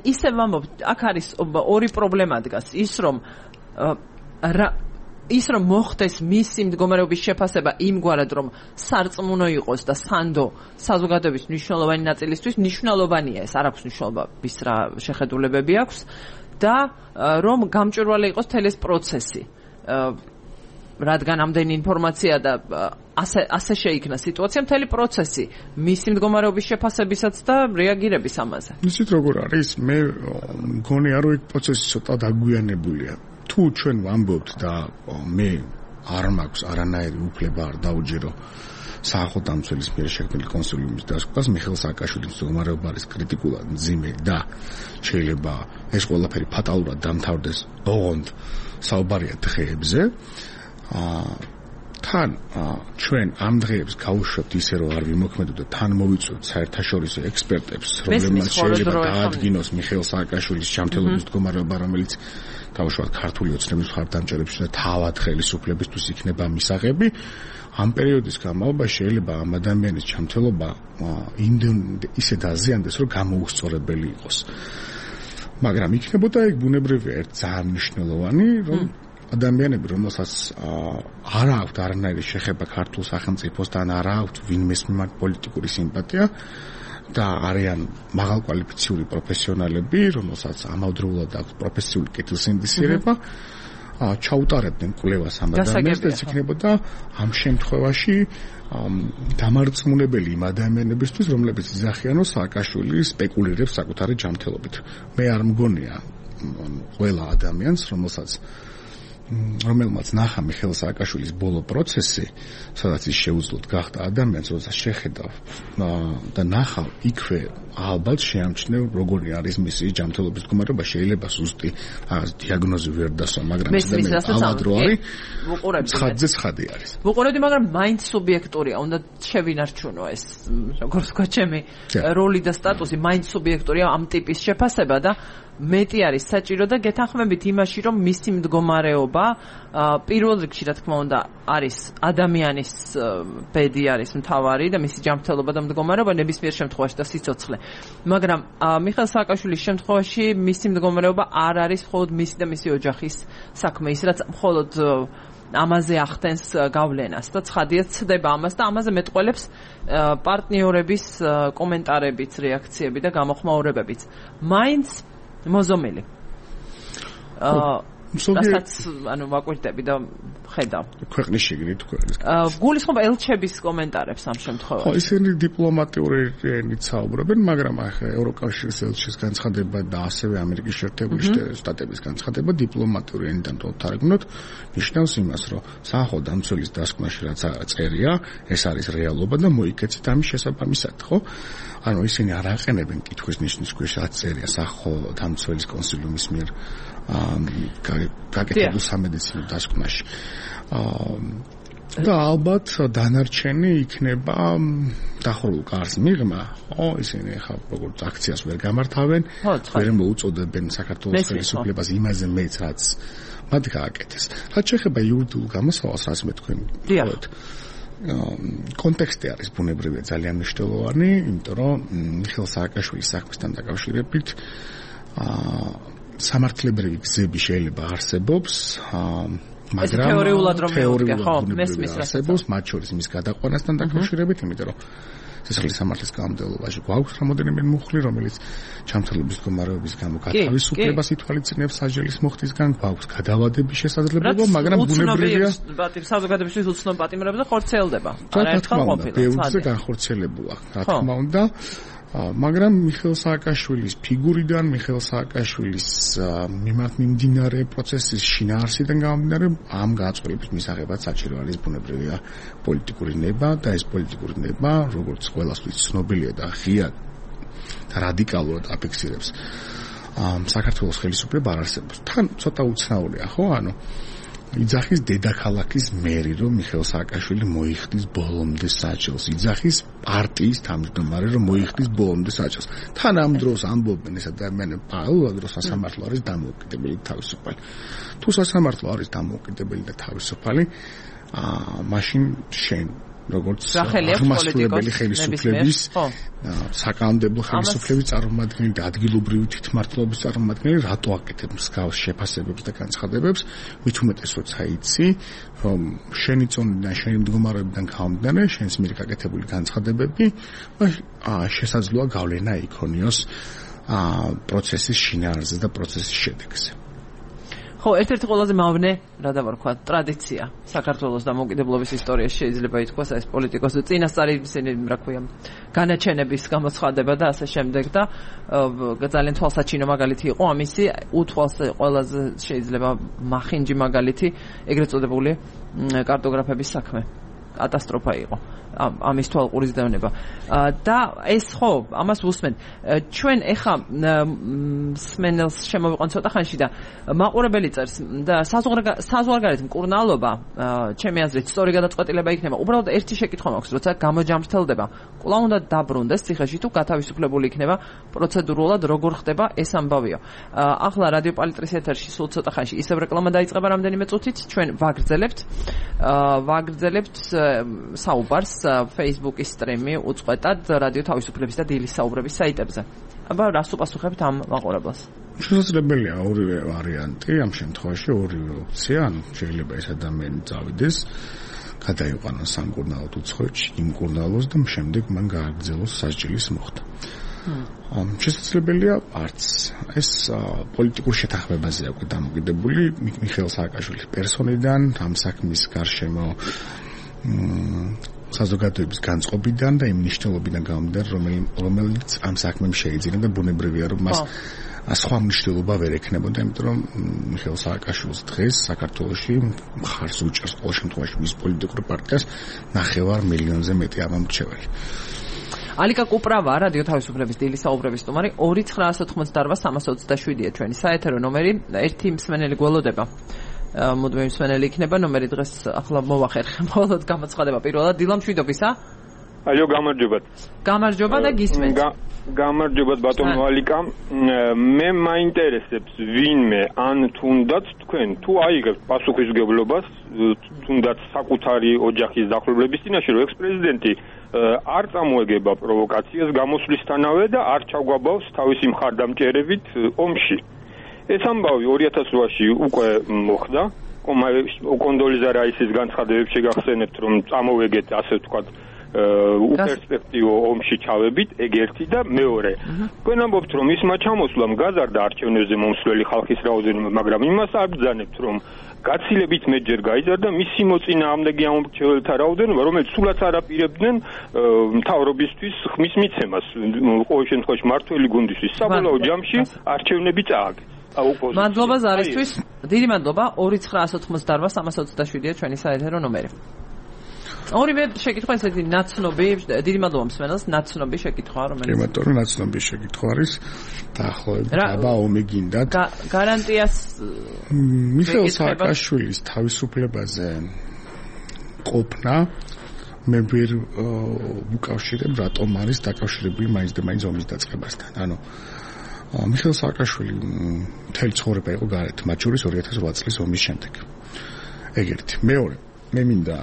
ისე ვამბობ, აქ არის ორი პრობლემა დგას, ის რომ მოხდეს მისი მდგომარეობის შეფასება იმგვარად, რომ სარწმუნო იყოს და სანდო საზოგადოების მნიშვნელოვანი ნაწილისთვის მნიშვნელოვანია, ეს არ აქვს მნიშვნელობა, ვის რა შეხედულებები აქვს და რომ გამჭვირვალე იყოს მთელი ეს პროცესი. რადგან ამდენი ინფორმაცია და ასე შეიქნა სიტუაცია, მთელი პროცესი მისი მდგომარეობის შეფასებისაც და რეაგირების ამაზე. იცით როგორ არის? მე მგონია რომ ეს პროცესი ცოტა დაგვიანებულია. თუ ჩვენ ვამბობთ და მე არ მაქვს არანაირი უფლება არ დაუჯერო საახალ დამცველის მიერ შექმნილი კონსულიუმის დასკვას, მიხეილ სააკაშვილის მდგომარეობა არის კრიტიკულად მძიმე და შეიძლება ეს ყველაფერი ფატალურად დამთავრდეს ოღონდ საუბარია დღეებზე. თან ჩვენ ამ დღეებს გავუშვებთ ისე რომ არ ვიმოქმედოთ და თან მოვიწვევთ საერთაშორისო ექსპერტებს, რომლებმაც შეიძლება დაადგინოს მიხეილ სააკაშვილის ჯანმრთელობის მდგომარეობა, რომელიც გავუშვათ ქართული ოცნების მხარდამჭერებს და თავად ხელისუფლებისთვის იქნება მისაღები. ამ პერიოდის განმავლობაში შეიძლება ამ ადამიანის ჯანმრთელობა ისე დაზიანდეს, რომ გამოუსწორებელი იყოს. მაგრამ იქნებოდა ეგ ბუნებრივია ერთ ძალიან მნიშვნელოვანი, რომ ადამიანები, რომელსაც არ აქვთ არანაირი შეხება ქართულ სახელმწიფოსთან, არ აქვთ ვინმეს მიმართ პოლიტიკური სიმპათია და არიან მაღალკვალიფიციური პროფესიონალები, რომელსაც ამავდროულად აქვს პროფესიული კეთილსინდისიერება, ჩაუტარებდნენ კვლევას ამ ადამიანს და ეს იქნებოდა ამ შემთხვევაში დამარწმუნებელი იმ ადამიანებისთვის, რომლებიც იძახიან, რომ სააკაშვილი სპეკულირებს საკუთარი ჯანმრთელობით. მე არ მგონია ყველა ადამიანს, რომელმაც ნახა მიხეილ სააკაშვილის ბოლო პროცესი, სადაც ის შეუძლოდ გახდა ადამიანს, როდესაც შეხედა და ნახა იქვე ალბათ შეამჩნევ როგორი არის მისი ჯანმრთელობის მდგომარეობა, შეიძლება ზუსტი დიაგნოზი ვერ დასვა, მაგრამ ამადრო არის ცხადზე არის. ვუყურებდი, მაგრამ მაინც სუბიექტურია, უნდა შევინარჩუნო ეს, როგორც თქვა, ჩემი როლი და სტატუსი, მაინც სუბიექტურია ამ ტიპის შეფასება და მეტი არის საჭირო და გეთანხმებით იმაში, რომ მისი მდგომარეობა პირველ რიგში, რა თქმა უნდა, არის ადამიანის ბედი არის მთავარი და მისი ჯანმრთელობა და მდგომარეობა ნებისმიერ შემთხვევაში და სიცოცხლე. მაგრამ მიხეილ სააკაშვილის შემთხვევაში მისი მდგომარეობა არ არის მხოლოდ მისი და მისი ოჯახის საქმე, ის რაც მხოლოდ ამაზე ახდენს გავლენას და ცხადია ცდება ამას და ამაზე მეტყველებს პარტნიორების კომენტარებიც, რეაქციები და გამოხმაურებებიც. მაინც მოზომილი. რასაც ანუ ვაკვირდები და ხედავ. ქვეყნის შიგნით ქვეყნის. გულისხმობ ელჩების კომენტარებს ამ შემთხვევაში. ხო, ისინი დიპლომატიური ენით საუბრობენ, მაგრამ ახლა ევროკავშირის ელჩის განცხადება და ასევე ამერიკის შეერთებული შტატების განცხადება დიპლომატიური ენიდან თარგმნოთ, ნიშნავს იმას, რომ საახალ დამცველის დასკვნაში რაც წერია, ეს არის რეალობა და მოიქეცეთ ამის შესაბამისად, ხო? ანუ ისინი არ აყენებენ კითხვის ნიშნის ქვეშ რაც წერია საახალ დამცველის კონსულიუმის მიერ გაკეთებულ სამედიცინო დასკვნაში. და ალბათ დანარჩენი იქნება დახურულ კარს მიღმა, ხო, ისინი ახლა როგორც აქციას ვერ გამართავენ, ვერ მოუწოდებენ საქართველოს ხელისუფლებას იმაზე მეც რაც მათ გააკეთეს. რაც შეეხება იურიდიულ გამოსავალს, რაც მე თქვენ ვთქვით, კონტექსტი არის ბუნებრივია ძალიან მნიშვნელოვანი, იმიტომ რომ მიხეილ სააკაშვილის საქმესთან დაკავშირებით სამართლებრივი გზები შეიძლება არსებობს, მაგრამ თეორიულად რომ მეუდგე, ხო, მესმის არსებობს, მათ შორის მის გადაყვანასთან დაკავშირებით, იმიტომ რომ სისხლის სამართლის კანონმდებლობაში გვაქვს რამოდენიმე მუხლი, რომელიც ჯანმრთელობის მდგომარეობის გამო გათავისუფლებას ითვალისწინებს სასჯელის მოხდისგან, გვაქვს გადავადების შესაძლებლობა, მაგრამ ბუნებრივია საზოგადოებისთვის უცნობ პატიმრებზე ხორციელდება. არაერთხელ ყოფილა. ბევრზე განხორციელებულა, რა თქმა უნდა. მაგრამ მიხეილ სააკაშვილის ფიგურიდან, მიხეილ სააკაშვილის მიმართ მიმდინარე პროცესის შინაარსიდან გამომდინარე, ამ გააწყვილების მისაღებად საჭირო არის ბუნებრივია პოლიტიკური ნება და ეს პოლიტიკური ნება, როგორც ყველასთვის ცნობილია და ღიად და რადიკალურად აფიქსირებს საქართველოს ხელისუფლება არ არსებობს. თან ცოტა უცნაურია, ხო? ანუ იძახის დედაქალაქის მერი, რომ მიხეილ სააკაშვილი მოიხდის ბოლომდე საჭილს. იძახის პარტიის თავმჯდომარე, რომ მოიხდის ბოლომდე საჭილს. თან ამ დროს ამბობენ ეს ადამიანები, პარალელურად რომ სასამართლო არის დამოუკიდებელი და თავისუფალი. თუ სასამართლო არის დამოუკიდებელი და თავისუფალი, მაშინ შენ როგორც აღმასრულებელი ხელისუფლების საკანონმდებლო ხელისუფლების წარმომადგენელი და ადგილობრივი თვითმმართველობის წარმომადგენელი რატო აკეთებ მსგავს შეფასებებს და განცხადებებს, მით უმეტეს როცა იცი, რომ შენი წონიდან, შენი მდგომარეობიდან გამომდინარე, შენს მიერ გაკეთებული განცხადებები შესაძლოა გავლენა იქონიოს პროცესის შინაარსზე და პროცესის შედეგზე. ხო, ერთ-ერთი ყველაზე მავნე, რა დავარქვა, ტრადიცია საქართველოს დამოუკიდებლობის ისტორიაში შეიძლება ითქვას ეს პოლიტიკოსი წინასწარი ისინი, რა ქვია, განაჩენების გამოცხადება და ასე შემდეგ და ძალიან თვალსაჩინო მაგალითი იყო ამისი უთვალს ყველაზე შეიძლება მახინჯი მაგალითი ეგრეთ წოდებული კარტოგრაფების საქმე. კატასტროფა იყო ამის თვალყურის დევნება და ეს ხო ამას ვუსმენ ჩვენ ეხა სმენელს შემოვიყვან ცოტა ხანში და მაყურებელი წერს და საზღვარგარეთ მკურნალობა ჩემი აზრით სწორი გადაწყვეტილება იქნება უბრალოდ ერთი შეკითხვა მაქვს როცა გამოჯამრთელდება კვლავ უნდა დაბრუნდეს ციხეში თუ გათავისუფლებული იქნება პროცედურულად როგორ ხდება ეს ამბავიო ახლა რადიო პალიტრის ეთერში სულ ცოტა ხანში ისევ რეკლამა დაიწყება რამდენიმე წუთით ჩვენ ვაგრძელებთ საუბარს Facebook-ის სტრიმი უწყვეტად რადიო თავისუფლების და დილის საუბრების საიტებზე. აბა რას უპასუხებთ ამ მაყურებელს? შესაძლებელია ორივე ვარიანტი, ამ შემთხვევაში ორივე ოფცია, ანუ შეიძლება ეს ადამიანი წავიდეს, გადაიყვანოს სამკურნალოდ უცხოეთში, იმკურნალოს და შემდეგ მან გააგრძელოს სასჯელის მოხდა. შესაძლებელია არც ეს პოლიტიკურ შეთანხმებაზეა დამოკიდებული მიხეილ სააკაშვილის პერსონიდან, ამ საქმის გარშემო საზოგადოების განწყობიდან და იმ მნიშვნელობიდან გამომდინარე, რომელიც ამ საქმემ შეიძინა და ბუნებრივია, რომ მას სხვა მნიშვნელობა ვერ ექნებოდა, იმიტომ რომ მიხეილ სააკაშვილს დღეს საქართველოში მხარს უჭერს ყოველ შემთხვევაში მის პოლიტიკურ პარტიას 9 მილიონზე მეტი ამომრჩეველი. ალიკა კუპრავა, რადიო თავისუფლების დილის საუბრების სტუმარი 2980327-ია ჩვენი საეთერო ნომერი, ერთი მსმენელი გველოდება. მოდმე მსმენელი იქნება ნომერი დღეს ახლა მოვახერხე მხოლოდ გამოცხადება პირველად დილამ შვიდობისა აიო გამარჯობა და გისმენთ გამარჯობათ ბატონო ალიკა მე მაინტერესებს ვინმე ან თუნდაც თქვენ თუ აიღებთ პასუხისმგებლობას თუნდაც საკუთარი ოჯახის დახურების წინაშე რომ ექს-პრეზიდენტი არ წამოეგება პროვოკაციას გამოსვლისთანავე და არ ჩაგვაბავს თავისი მხარდამჭერებით ომში ეს ამბავი 2008-ში უკვე მოხდა. კონდოლიზა რაისის განცხადებებს შეგახსენებთ, რომ წამოვეგეთ, ასე ვთქვათ, უპერსპექტივო ომში ჩავებით, ეგ ერთი და მეორე. თქვენ ამბობთ, რომ ისმა ჩამოსვლამ გაზარდა არჩევნებზე მომსვლელი ხალხის რაოდენობა, მაგრამ იმას არ ბრძანებთ, რომ გაცილებით მეტჯერ გაიზარდა მისი მოწინააღმდეგე ამომრჩეველთა რაოდენობა, რომელიც სულაც არ აპირებდნენ მთავრობისთვის ხმის მიცემას, ყოველ შემთხვევაში მართველი გუნდისთვის საბოლოო ჯამში არჩევნები წააგეს. მადლობა ზარისთვის. დიდი მადლობა. 2980327-ია ჩვენი საეთერო ნომერი. ორივე შეკითხვა ესეთი ნაცნობი, დიდი მადლობა მსმენელს, ნაცნობი შეკითხვა, რომელიც იმიტომ ნაცნობი შეკითხვა არის დაახლოებით აბა ომი გინდათ. გარანტიას მიხეილ სააკაშვილის თავისუფლებაზე ყოფნა მე ვერ უკავშირებ, რატომ არის დაკავშირებული მაინც და მაინც ომის დაწყებასთან. ანუ მიხეილ სააკაშვილი მთელი ცხოვრება იყო გარეთ, მათ შორის 2008 წლის ომის შემდეგ. ეგ ერთი. მეორე, მე მინდა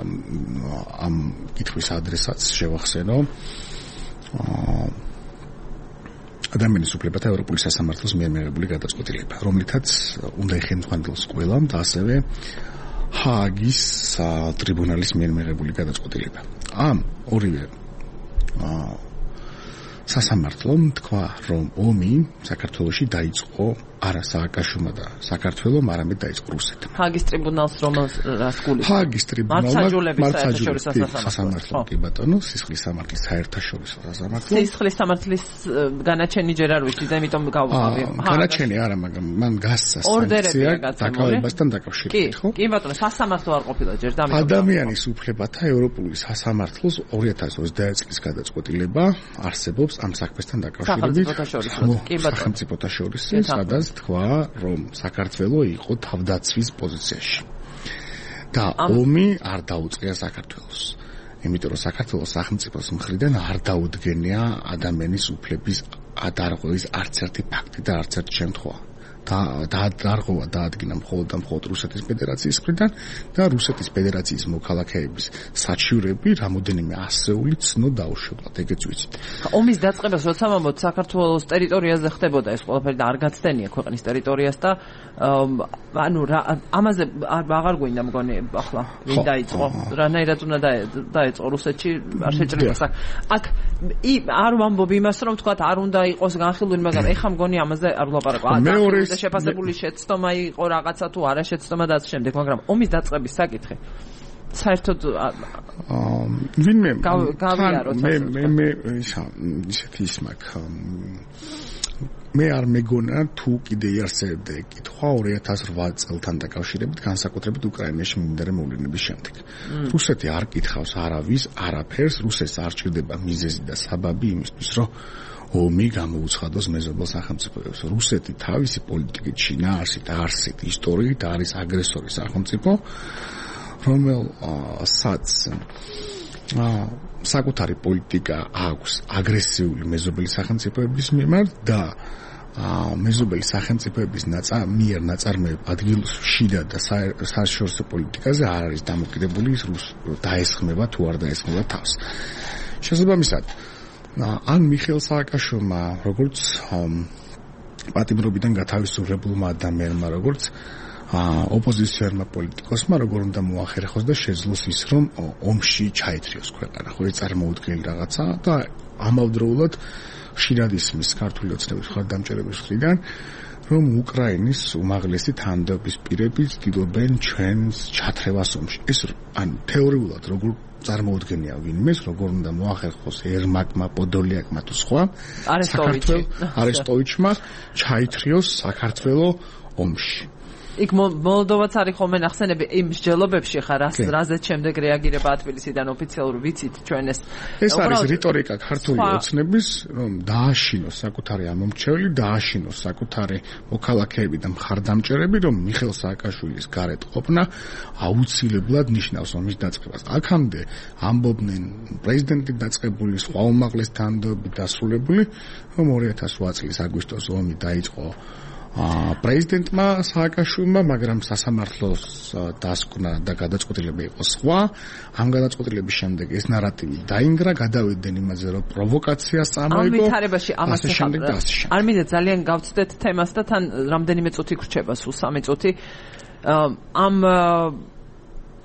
ამ კითხვის ადრესატს შევახსენო. ადამიანის უფლებათა ევროპული სასამართლოს მიერ მიღებული გადაწყვეტილება, რომლითაც უნდა იხელმძღვანელოს ყველამ და ასევე ჰააგის ტრიბუნალის მიერ მიღებული გადაწყვეტილება. ამ ორივე სასამართლომ თქვა, რომ ომი საქართველოში დაიწყო არა სააკაშვილმა და საქართველომ, არამედ დაიწყო რუსეთმა. ჰააგის ტრიბუნალს რომელს გულისხმობთ? ჰააგის ტრიბუნალმა მართლმსაჯულების სასამართლო, კი ბატონო, სისხლის სამართლის საერთაშორისო სასამართლო. სისხლის სამართლის განაჩენი ჯერ არ ვიცი და იმიტომ გავუყავი. განაჩენი არა, მაგრამ მან გასცა სანქცია დაკავებასთან დაკავშირებით, ხო? კი ბატონო, სასამართლო არ ყოფილა ჯერ და ამიტომ ადამიანის უფლებათა ევროპული სასამართლოს 2021 წლის გადაწყვეტილება არსებობს ამ საქმესთან დაკავშირებით. სახელმწიფოთა შორის, სადაც თქვა, რომ საქართველო იყო თავდაცვის პოზიციაში. და ომი არ დაუწყია საქართველოს. იმიტომ რომ საქართველოს სახელმწიფოს მხრიდან არ დაუდგენია ადამიანის უფლების დარღვევის არც ერთი ფაქტი და არც ერთი შემთხვევა. დარღვევა დაადგინა მხოლოდ და მხოლოდ რუსეთის ფედერაციის მხრიდან და რუსეთის ფედერაციის მოქალაქეების საჩივრები რამოდენიმე ასეული ცნო დაუშვებლად, ეგეც ვიცით. ომის დაწყებას როცა მომოთ საქართველოს ტერიტორიაზე ხდებოდა ეს ყველაფერი და არ გაცდენია ქვეყნის ტერიტორიას და ანუ ამაზე აღარ გვინდა მგონი ახლა ვინ დაიწყო რანაირად უნდა დაიწყო რუსეთში არ შეჭრება აქ არ ვამბობ იმას რომ თქვა არ უნდა იყოს განხილული მაგრამ ეხა მგონი ამაზე არ ვლაპარაკო მეორე იქნებოდა შეფასებული შეცდომა იყო რაღაცა თუ არა შეცდომა და ასე შემდეგ, მაგრამ ომის დაწყების საკითხი საერთოდ ვინმე გავიაროთ მე ისეთი ის მაქვს მე არ მეგონა თუ კიდე იარსებდა კითხვა 2008 წელთან დაკავშირებით განსაკუთრებით უკრაინაში მიმდინარე მოვლენების შემდეგ. რუსეთი არ კითხავს არავის, არაფერს, რუსეთს არ ჭირდება მიზეზი და საბაბი იმისთვის, რომ ომი გამოუცხადოს მეზობელ სახელმწიფოებს. რუსეთი თავისი პოლიტიკით, შინაარსით, არსით, ისტორიით არის აგრესორი სახელმწიფო, რომელსაც საკუთარი პოლიტიკა აქვს აგრესიული მეზობელი სახელმწიფოების მიმართ და მეზობელი სახელმწიფოების მიერ ნაწარმოებ ადგილშიდა და საერთაშორისო პოლიტიკაზე არ არის დამოკიდებული ის დაესხმება თუ არ დაესხმება თავს. შესაბამისად, ან მიხეილ სააკაშვილმა, როგორც პატიმრობიდან გათავისუფლებულმა ადამიანმა, როგორც ოპოზიციონერმა პოლიტიკოსმა, როგორ უნდა მოახერხოს და შეძლოს ის, რომ ომში ჩაითრიოს ქვეყანა, ხო, ეს წარმოუდგენელი რაღაცა და ამავდროულად ხშირად ისმის ქართული ოცნების მხარდამჭერების მხრიდან, რომ უკრაინის უმაღლესი თანამდებობის პირები ცდილობენ ჩვენს ჩათრევას ომში. ეს თეორიულად როგორ წარმოუდგენია ვინმეს, როგორ უნდა მოახერხოს ერმაკმა, პოდოლიაკმა თუ სხვა არესტოვიჩმა ჩაითრიოს საქართველოს ომში. იქ მოლდოვაც არის ხოლმე ნახსენები იმ მსჯელობებში ხარ რაზეც შემდეგ რეაგირება თბილისიდან ოფიციალურ ვიცით ჩვენ ეს არის რიტორიკა ქართული ოცნების რომ დააშინოს საკუთარი ამომრჩეველი დააშინოს საკუთარი მოქალაქეები და მხარდამჭერები რომ მიხეილ სააკაშვილის გარეთ ყოფნა აუცილებლად ნიშნავს ომის დაწყებას აქამდე ამბობდნენ პრეზიდენტი დაწყებული სხვა უმაღლეს თანამდებობები დასრულებული რომ 2008 წლის აგვისტოს ომი დაიწყო პრეზიდენტმა სააკაშვილმა, მაგრამ სასამართლოს დასკვნა და გადაწყვეტილება იყო სხვა. ამ გადაწყვეტილების შემდეგ ეს ნარატივი დაინგრა, გადავიდნენ იმაზე, რომ პროვოკაციას წამოიღო. ამ ვითარებაში ამას არ მინდა ძალიან გავცდეთ თემას და თან რამდენიმე წუთი გრჩება, სულ 3 წუთი.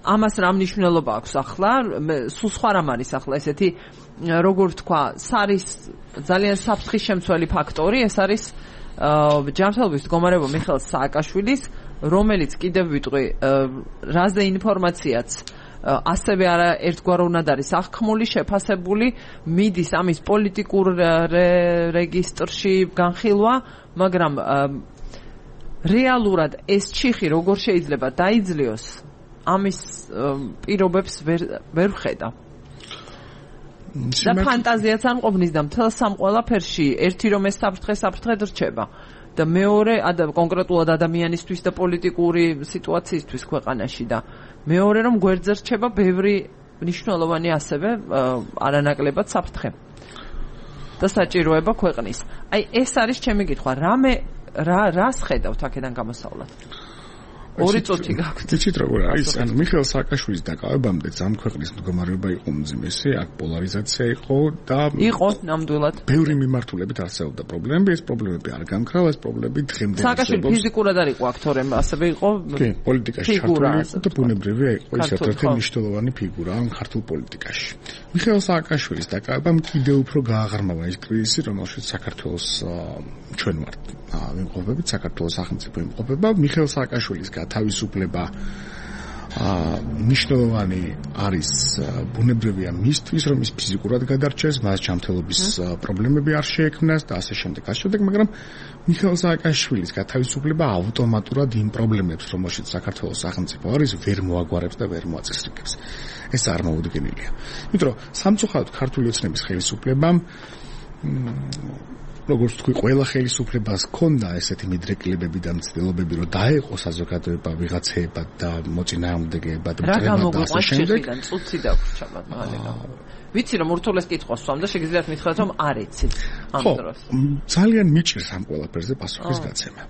ამას რა მნიშვნელობა აქვს ახლა? სულ სხვა რამ არის ახლა ესეთი, როგორ თქვა, არის ძალიან საფრთხის შემცველი ფაქტორი, ეს არის ჯანმრთელობის მდგომარეობა მიხეილ სააკაშვილის, რომელიც კიდევ ვიტყვი, რაზე ინფორმაციაც ასევე არა ერთგვაროვნად არის აღქმული, შეფასებული, მიდის ამის პოლიტიკურ რეგისტრში განხილვა, მაგრამ რეალურად ეს ჩიხი როგორ შეიძლება დაიძლიოს, ამის პირობებს ვერ ვხედა. და ფანტაზიაც არ მყოფნის და მთელ სამ ყველაფერში ერთი რომ ეს საფრთხე რჩება და მეორე კონკრეტულად ადამიანისთვის და პოლიტიკური სიტუაციისთვის ქვეყანაში და მეორე რომ გვერდზე რჩება ბევრი მნიშვნელოვანი ასევე არანაკლებად საფრთხე და საჭიროება ქვეყნის. აი ეს არის ჩემი კითხვა, რას ხედავთ აქედან გამოსავლად? 2 წუთი გაქვთ. იცით როგორ არის? ანუ მიხეილ სააკაშვილის დაკავებამდე ამ ქვეყნის მდგომარეობა იყო უმძიმესი, აქ პოლარიზაცია იყო და იყო ნამდვილად. ბევრი მიმართულებით არსებობდა პრობლემები, ეს პრობლემები არ გამქრალა, ეს პრობლემები დღემდე სააკაშვილი ფიზიკურად არ იყო აქტორი, ასევე იყო პოლიტიკაში ჩართული და ბუნებრივია იყო ის ერთ-ერთი მნიშვნელოვანი ფიგურა ამ ქართულ პოლიტიკაში. მიხეილ სააკაშვილის დაკავებამ კიდევ უფრო გააღრმავა ის კრიზისი, რომელშიც საქართველოს ჩვენ ვართ ვიმყოფებით, საქართველოს სახელმწიფო იმყოფება. მიხეილ სააკაშვილის თავისუფლება მნიშვნელოვანი არის ბუნებრივია მისთვის, რომ ის ფიზიკურად გადარჩეს, მას ჯანმრთელობის პრობლემები არ შეექმნას და ასე შემდეგ, მაგრამ მიხეილ სააკაშვილის თავისუფლება ავტომატურად იმ პრობლემებს, რომელშიც საქართველოს სახელმწიფო არის, ვერ მოაგვარებს და ვერ მოაწესრიგებს. ეს წარმოუდგენელია. იმიტომ რომ სამწუხაროდ ქართული ოცნების ხელისუფლებამ როგორც თქვი, ყველა ხელისუფლებას ჰქონდა ესეთი მიდრეკილებები და მცდელობები, რომ დაეყო საზოგადოება ვიღაცეებად და მოწინააღმდეგეებად მტრებად და ასე შემდეგ. წუთი დაგვრჩა მაგალითად. ვიცი რომ ურთულეს კითხვას ვსვამ და შეგიძლიათ მითხრათ რომ არ იცით ამ დროს. ძალიან მიჭირს ამ ყველაფერზე პასუხის გაცემა.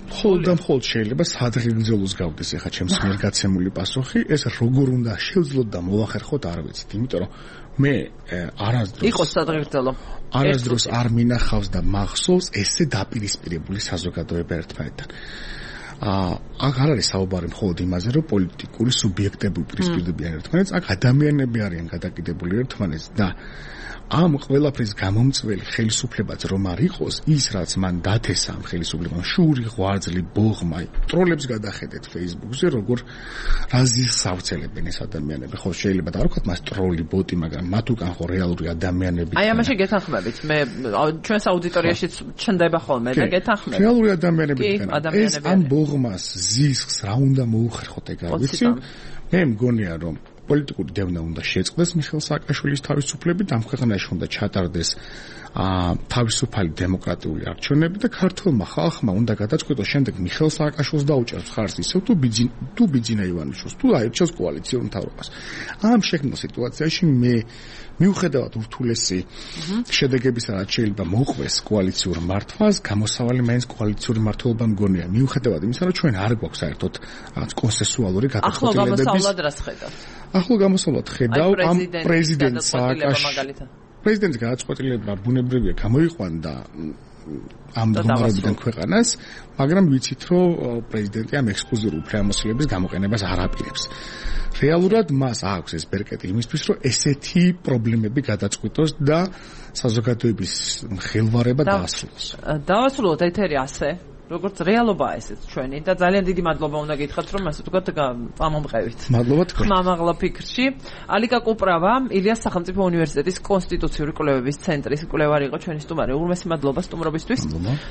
მხოლოდ შეიძლება სადღეგრძელოს გავდეს ახლა ჩემს მიერ გაცემული პასუხი, ეს როგორ უნდა შევძლოთ და მოახერხოთ არ ვიცით, იმიტომ რომ მე არასდროს იყოს სადღეგრძელო არასდროს არ მინახავს და მახსოვს ესე დაპირისპირებული საზოგადოება ერთმანეთთან. აქ არ არის საუბარი მხოლოდ იმაზე, რომ პოლიტიკური სუბიექტები უპირისპირდებიან ერთმანეთს, აქ ადამიანები არიან გადაკიდებული ერთმანეთს და ამ ყველაფრის გამომწველი ხელისუფლებაც რომ არ იყოს ის რაც მან დათესა ამ ხელისუფლებამ შური ღვაწლი ბოღმა ტროლებს გადახედეთ Facebook-ზე როგორ რაზის სავრცელებენ ეს ადამიანები ხო შეიძლება და არ ვქოთ მას ტროლი ბოტი მაგრამ მათ უკან ხო რეალური ადამიანები აი ამაში გეთანხმებით მე ჩვენს აუდიტორიაშიც ჩნდება ხოლმე და გეთანხმებით რეალური ადამიანები ეს ამ ბოღმას ზისხს რა უნდა მოუხერხოთ ეგ არ ვიცი მე მგონია რომ პოლიტიკური დევნა უნდა შეწყდეს მიხეილ სააკაშვილის თავისუფლებით, ამ ქვეყანაში უნდა ჩატარდეს თავისუფალი დემოკრატიული არჩევნები და ქართულმა ხალხმა უნდა გადაწყვიტოს შემდეგ მიხეილ სააკაშვილს დაუჭერს ხარს ისევ თუ ბიძინა ივანიშვილს, თუ აირჩევს კოალიციურ მთავრობას. ამ შექმნილ სიტუაციაში მე მიუხედავად ურთულესი შედეგებისა, რაც შეიძლება მოყვეს კოალიციურ მართვას, გამოსავალი მაინც კოალიციური მართლობა მგონია. მიუხედავად იმისა, რომ ჩვენ არ გვაქვს საერთოდ რაღაც კონსენსუალური გადაწყვეტილებების. ახლო გამოსავლად რას ხედავთ? ახლო გამოსავლად ხედავ ამ პრეზიდენტ სააკაშვილის პრეზიდენტის გადაწყვეტილება ბუნებრივია გამოიყვანდა ამ დომარებიდან ქვეყანას, მაგრამ ვიცით, რომ პრეზიდენტი ამ ექსკლუზიური უფლებამოსილების გამოყენებას არ აპირებს. რეალურად მას აქვს ეს ბერკეტი იმისთვის, რომ ესეთი პრობლემები გადაწყვიტოს და საზოგადოების ხელვარება დაასრულოს. დაასრულოთ ეთერი ასე. როგორც რეალობაა ესეც ჩვენი და ძალიან დიდი მადლობა უნდა გითხრათ რომ ასე ვთქვათ წამომყევით. მადლობა თქვენ. ხმამაღლა ფიქრში. ალიკა კუპრავა, ილიას სახელმწიფო უნივერსიტეტის კონსტიტუციური კვლევების ცენტრის კვლევარი იყო ჩვენი სტუმარი. უღრმესი მადლობა სტუმრობისთვის.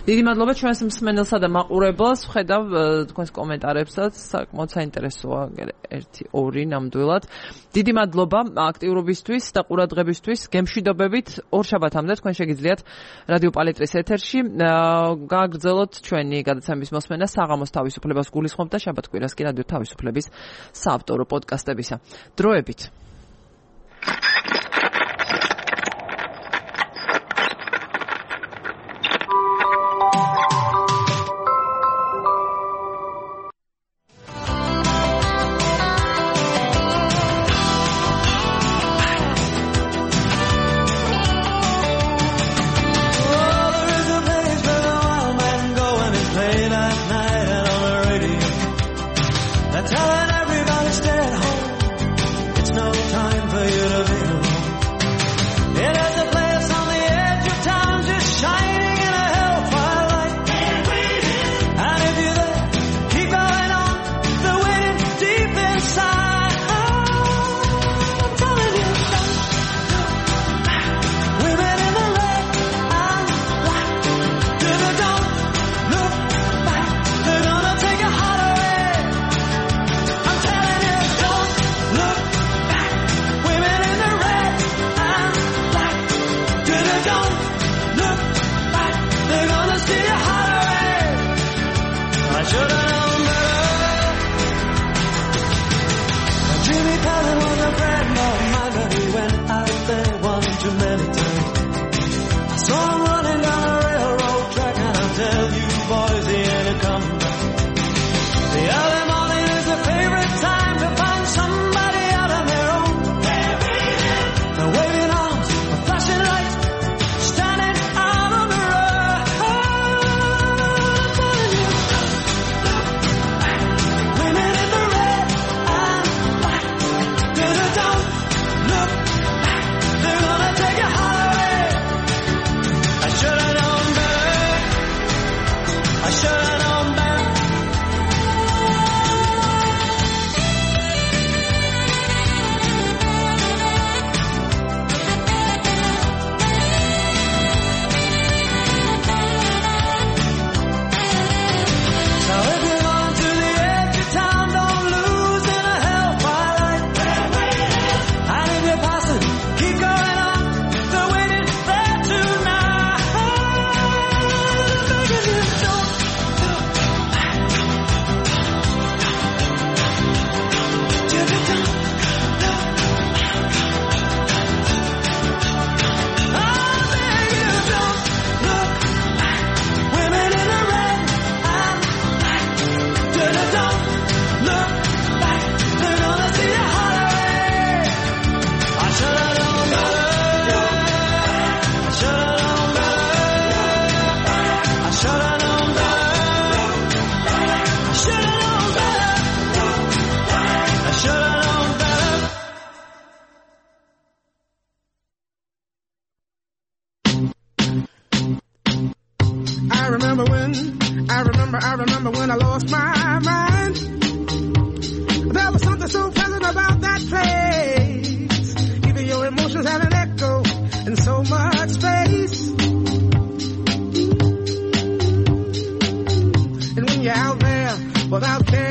დიდი მადლობა ჩვენს მსმენელსა და მაყურებელს. ვხედავ თქვენს კომენტარებსაც, საკმაოდ საინტერესოა 1-2 ნამდვილად. დიდი მადლობა აქტიურობისთვის და ყურადღებისთვის. გემშვიდობებით ორშაბათამდე თქვენ შეგიძლიათ რადიო პალეტრის ეთერში გააგრძელოთ ჩვენ გადაცემის მოსმენა საღამოს თავისუფლებას გულისხმობ და შაბათ-კვირას კი რადიო თავისუფლების საავტორო პოდკასტებისა. დროებით. Telling everybody stay at home. It's no I remember when I lost my mind. There was something so pleasant about that place. Even your emotions have an echo in so much space. And when you're out there without care,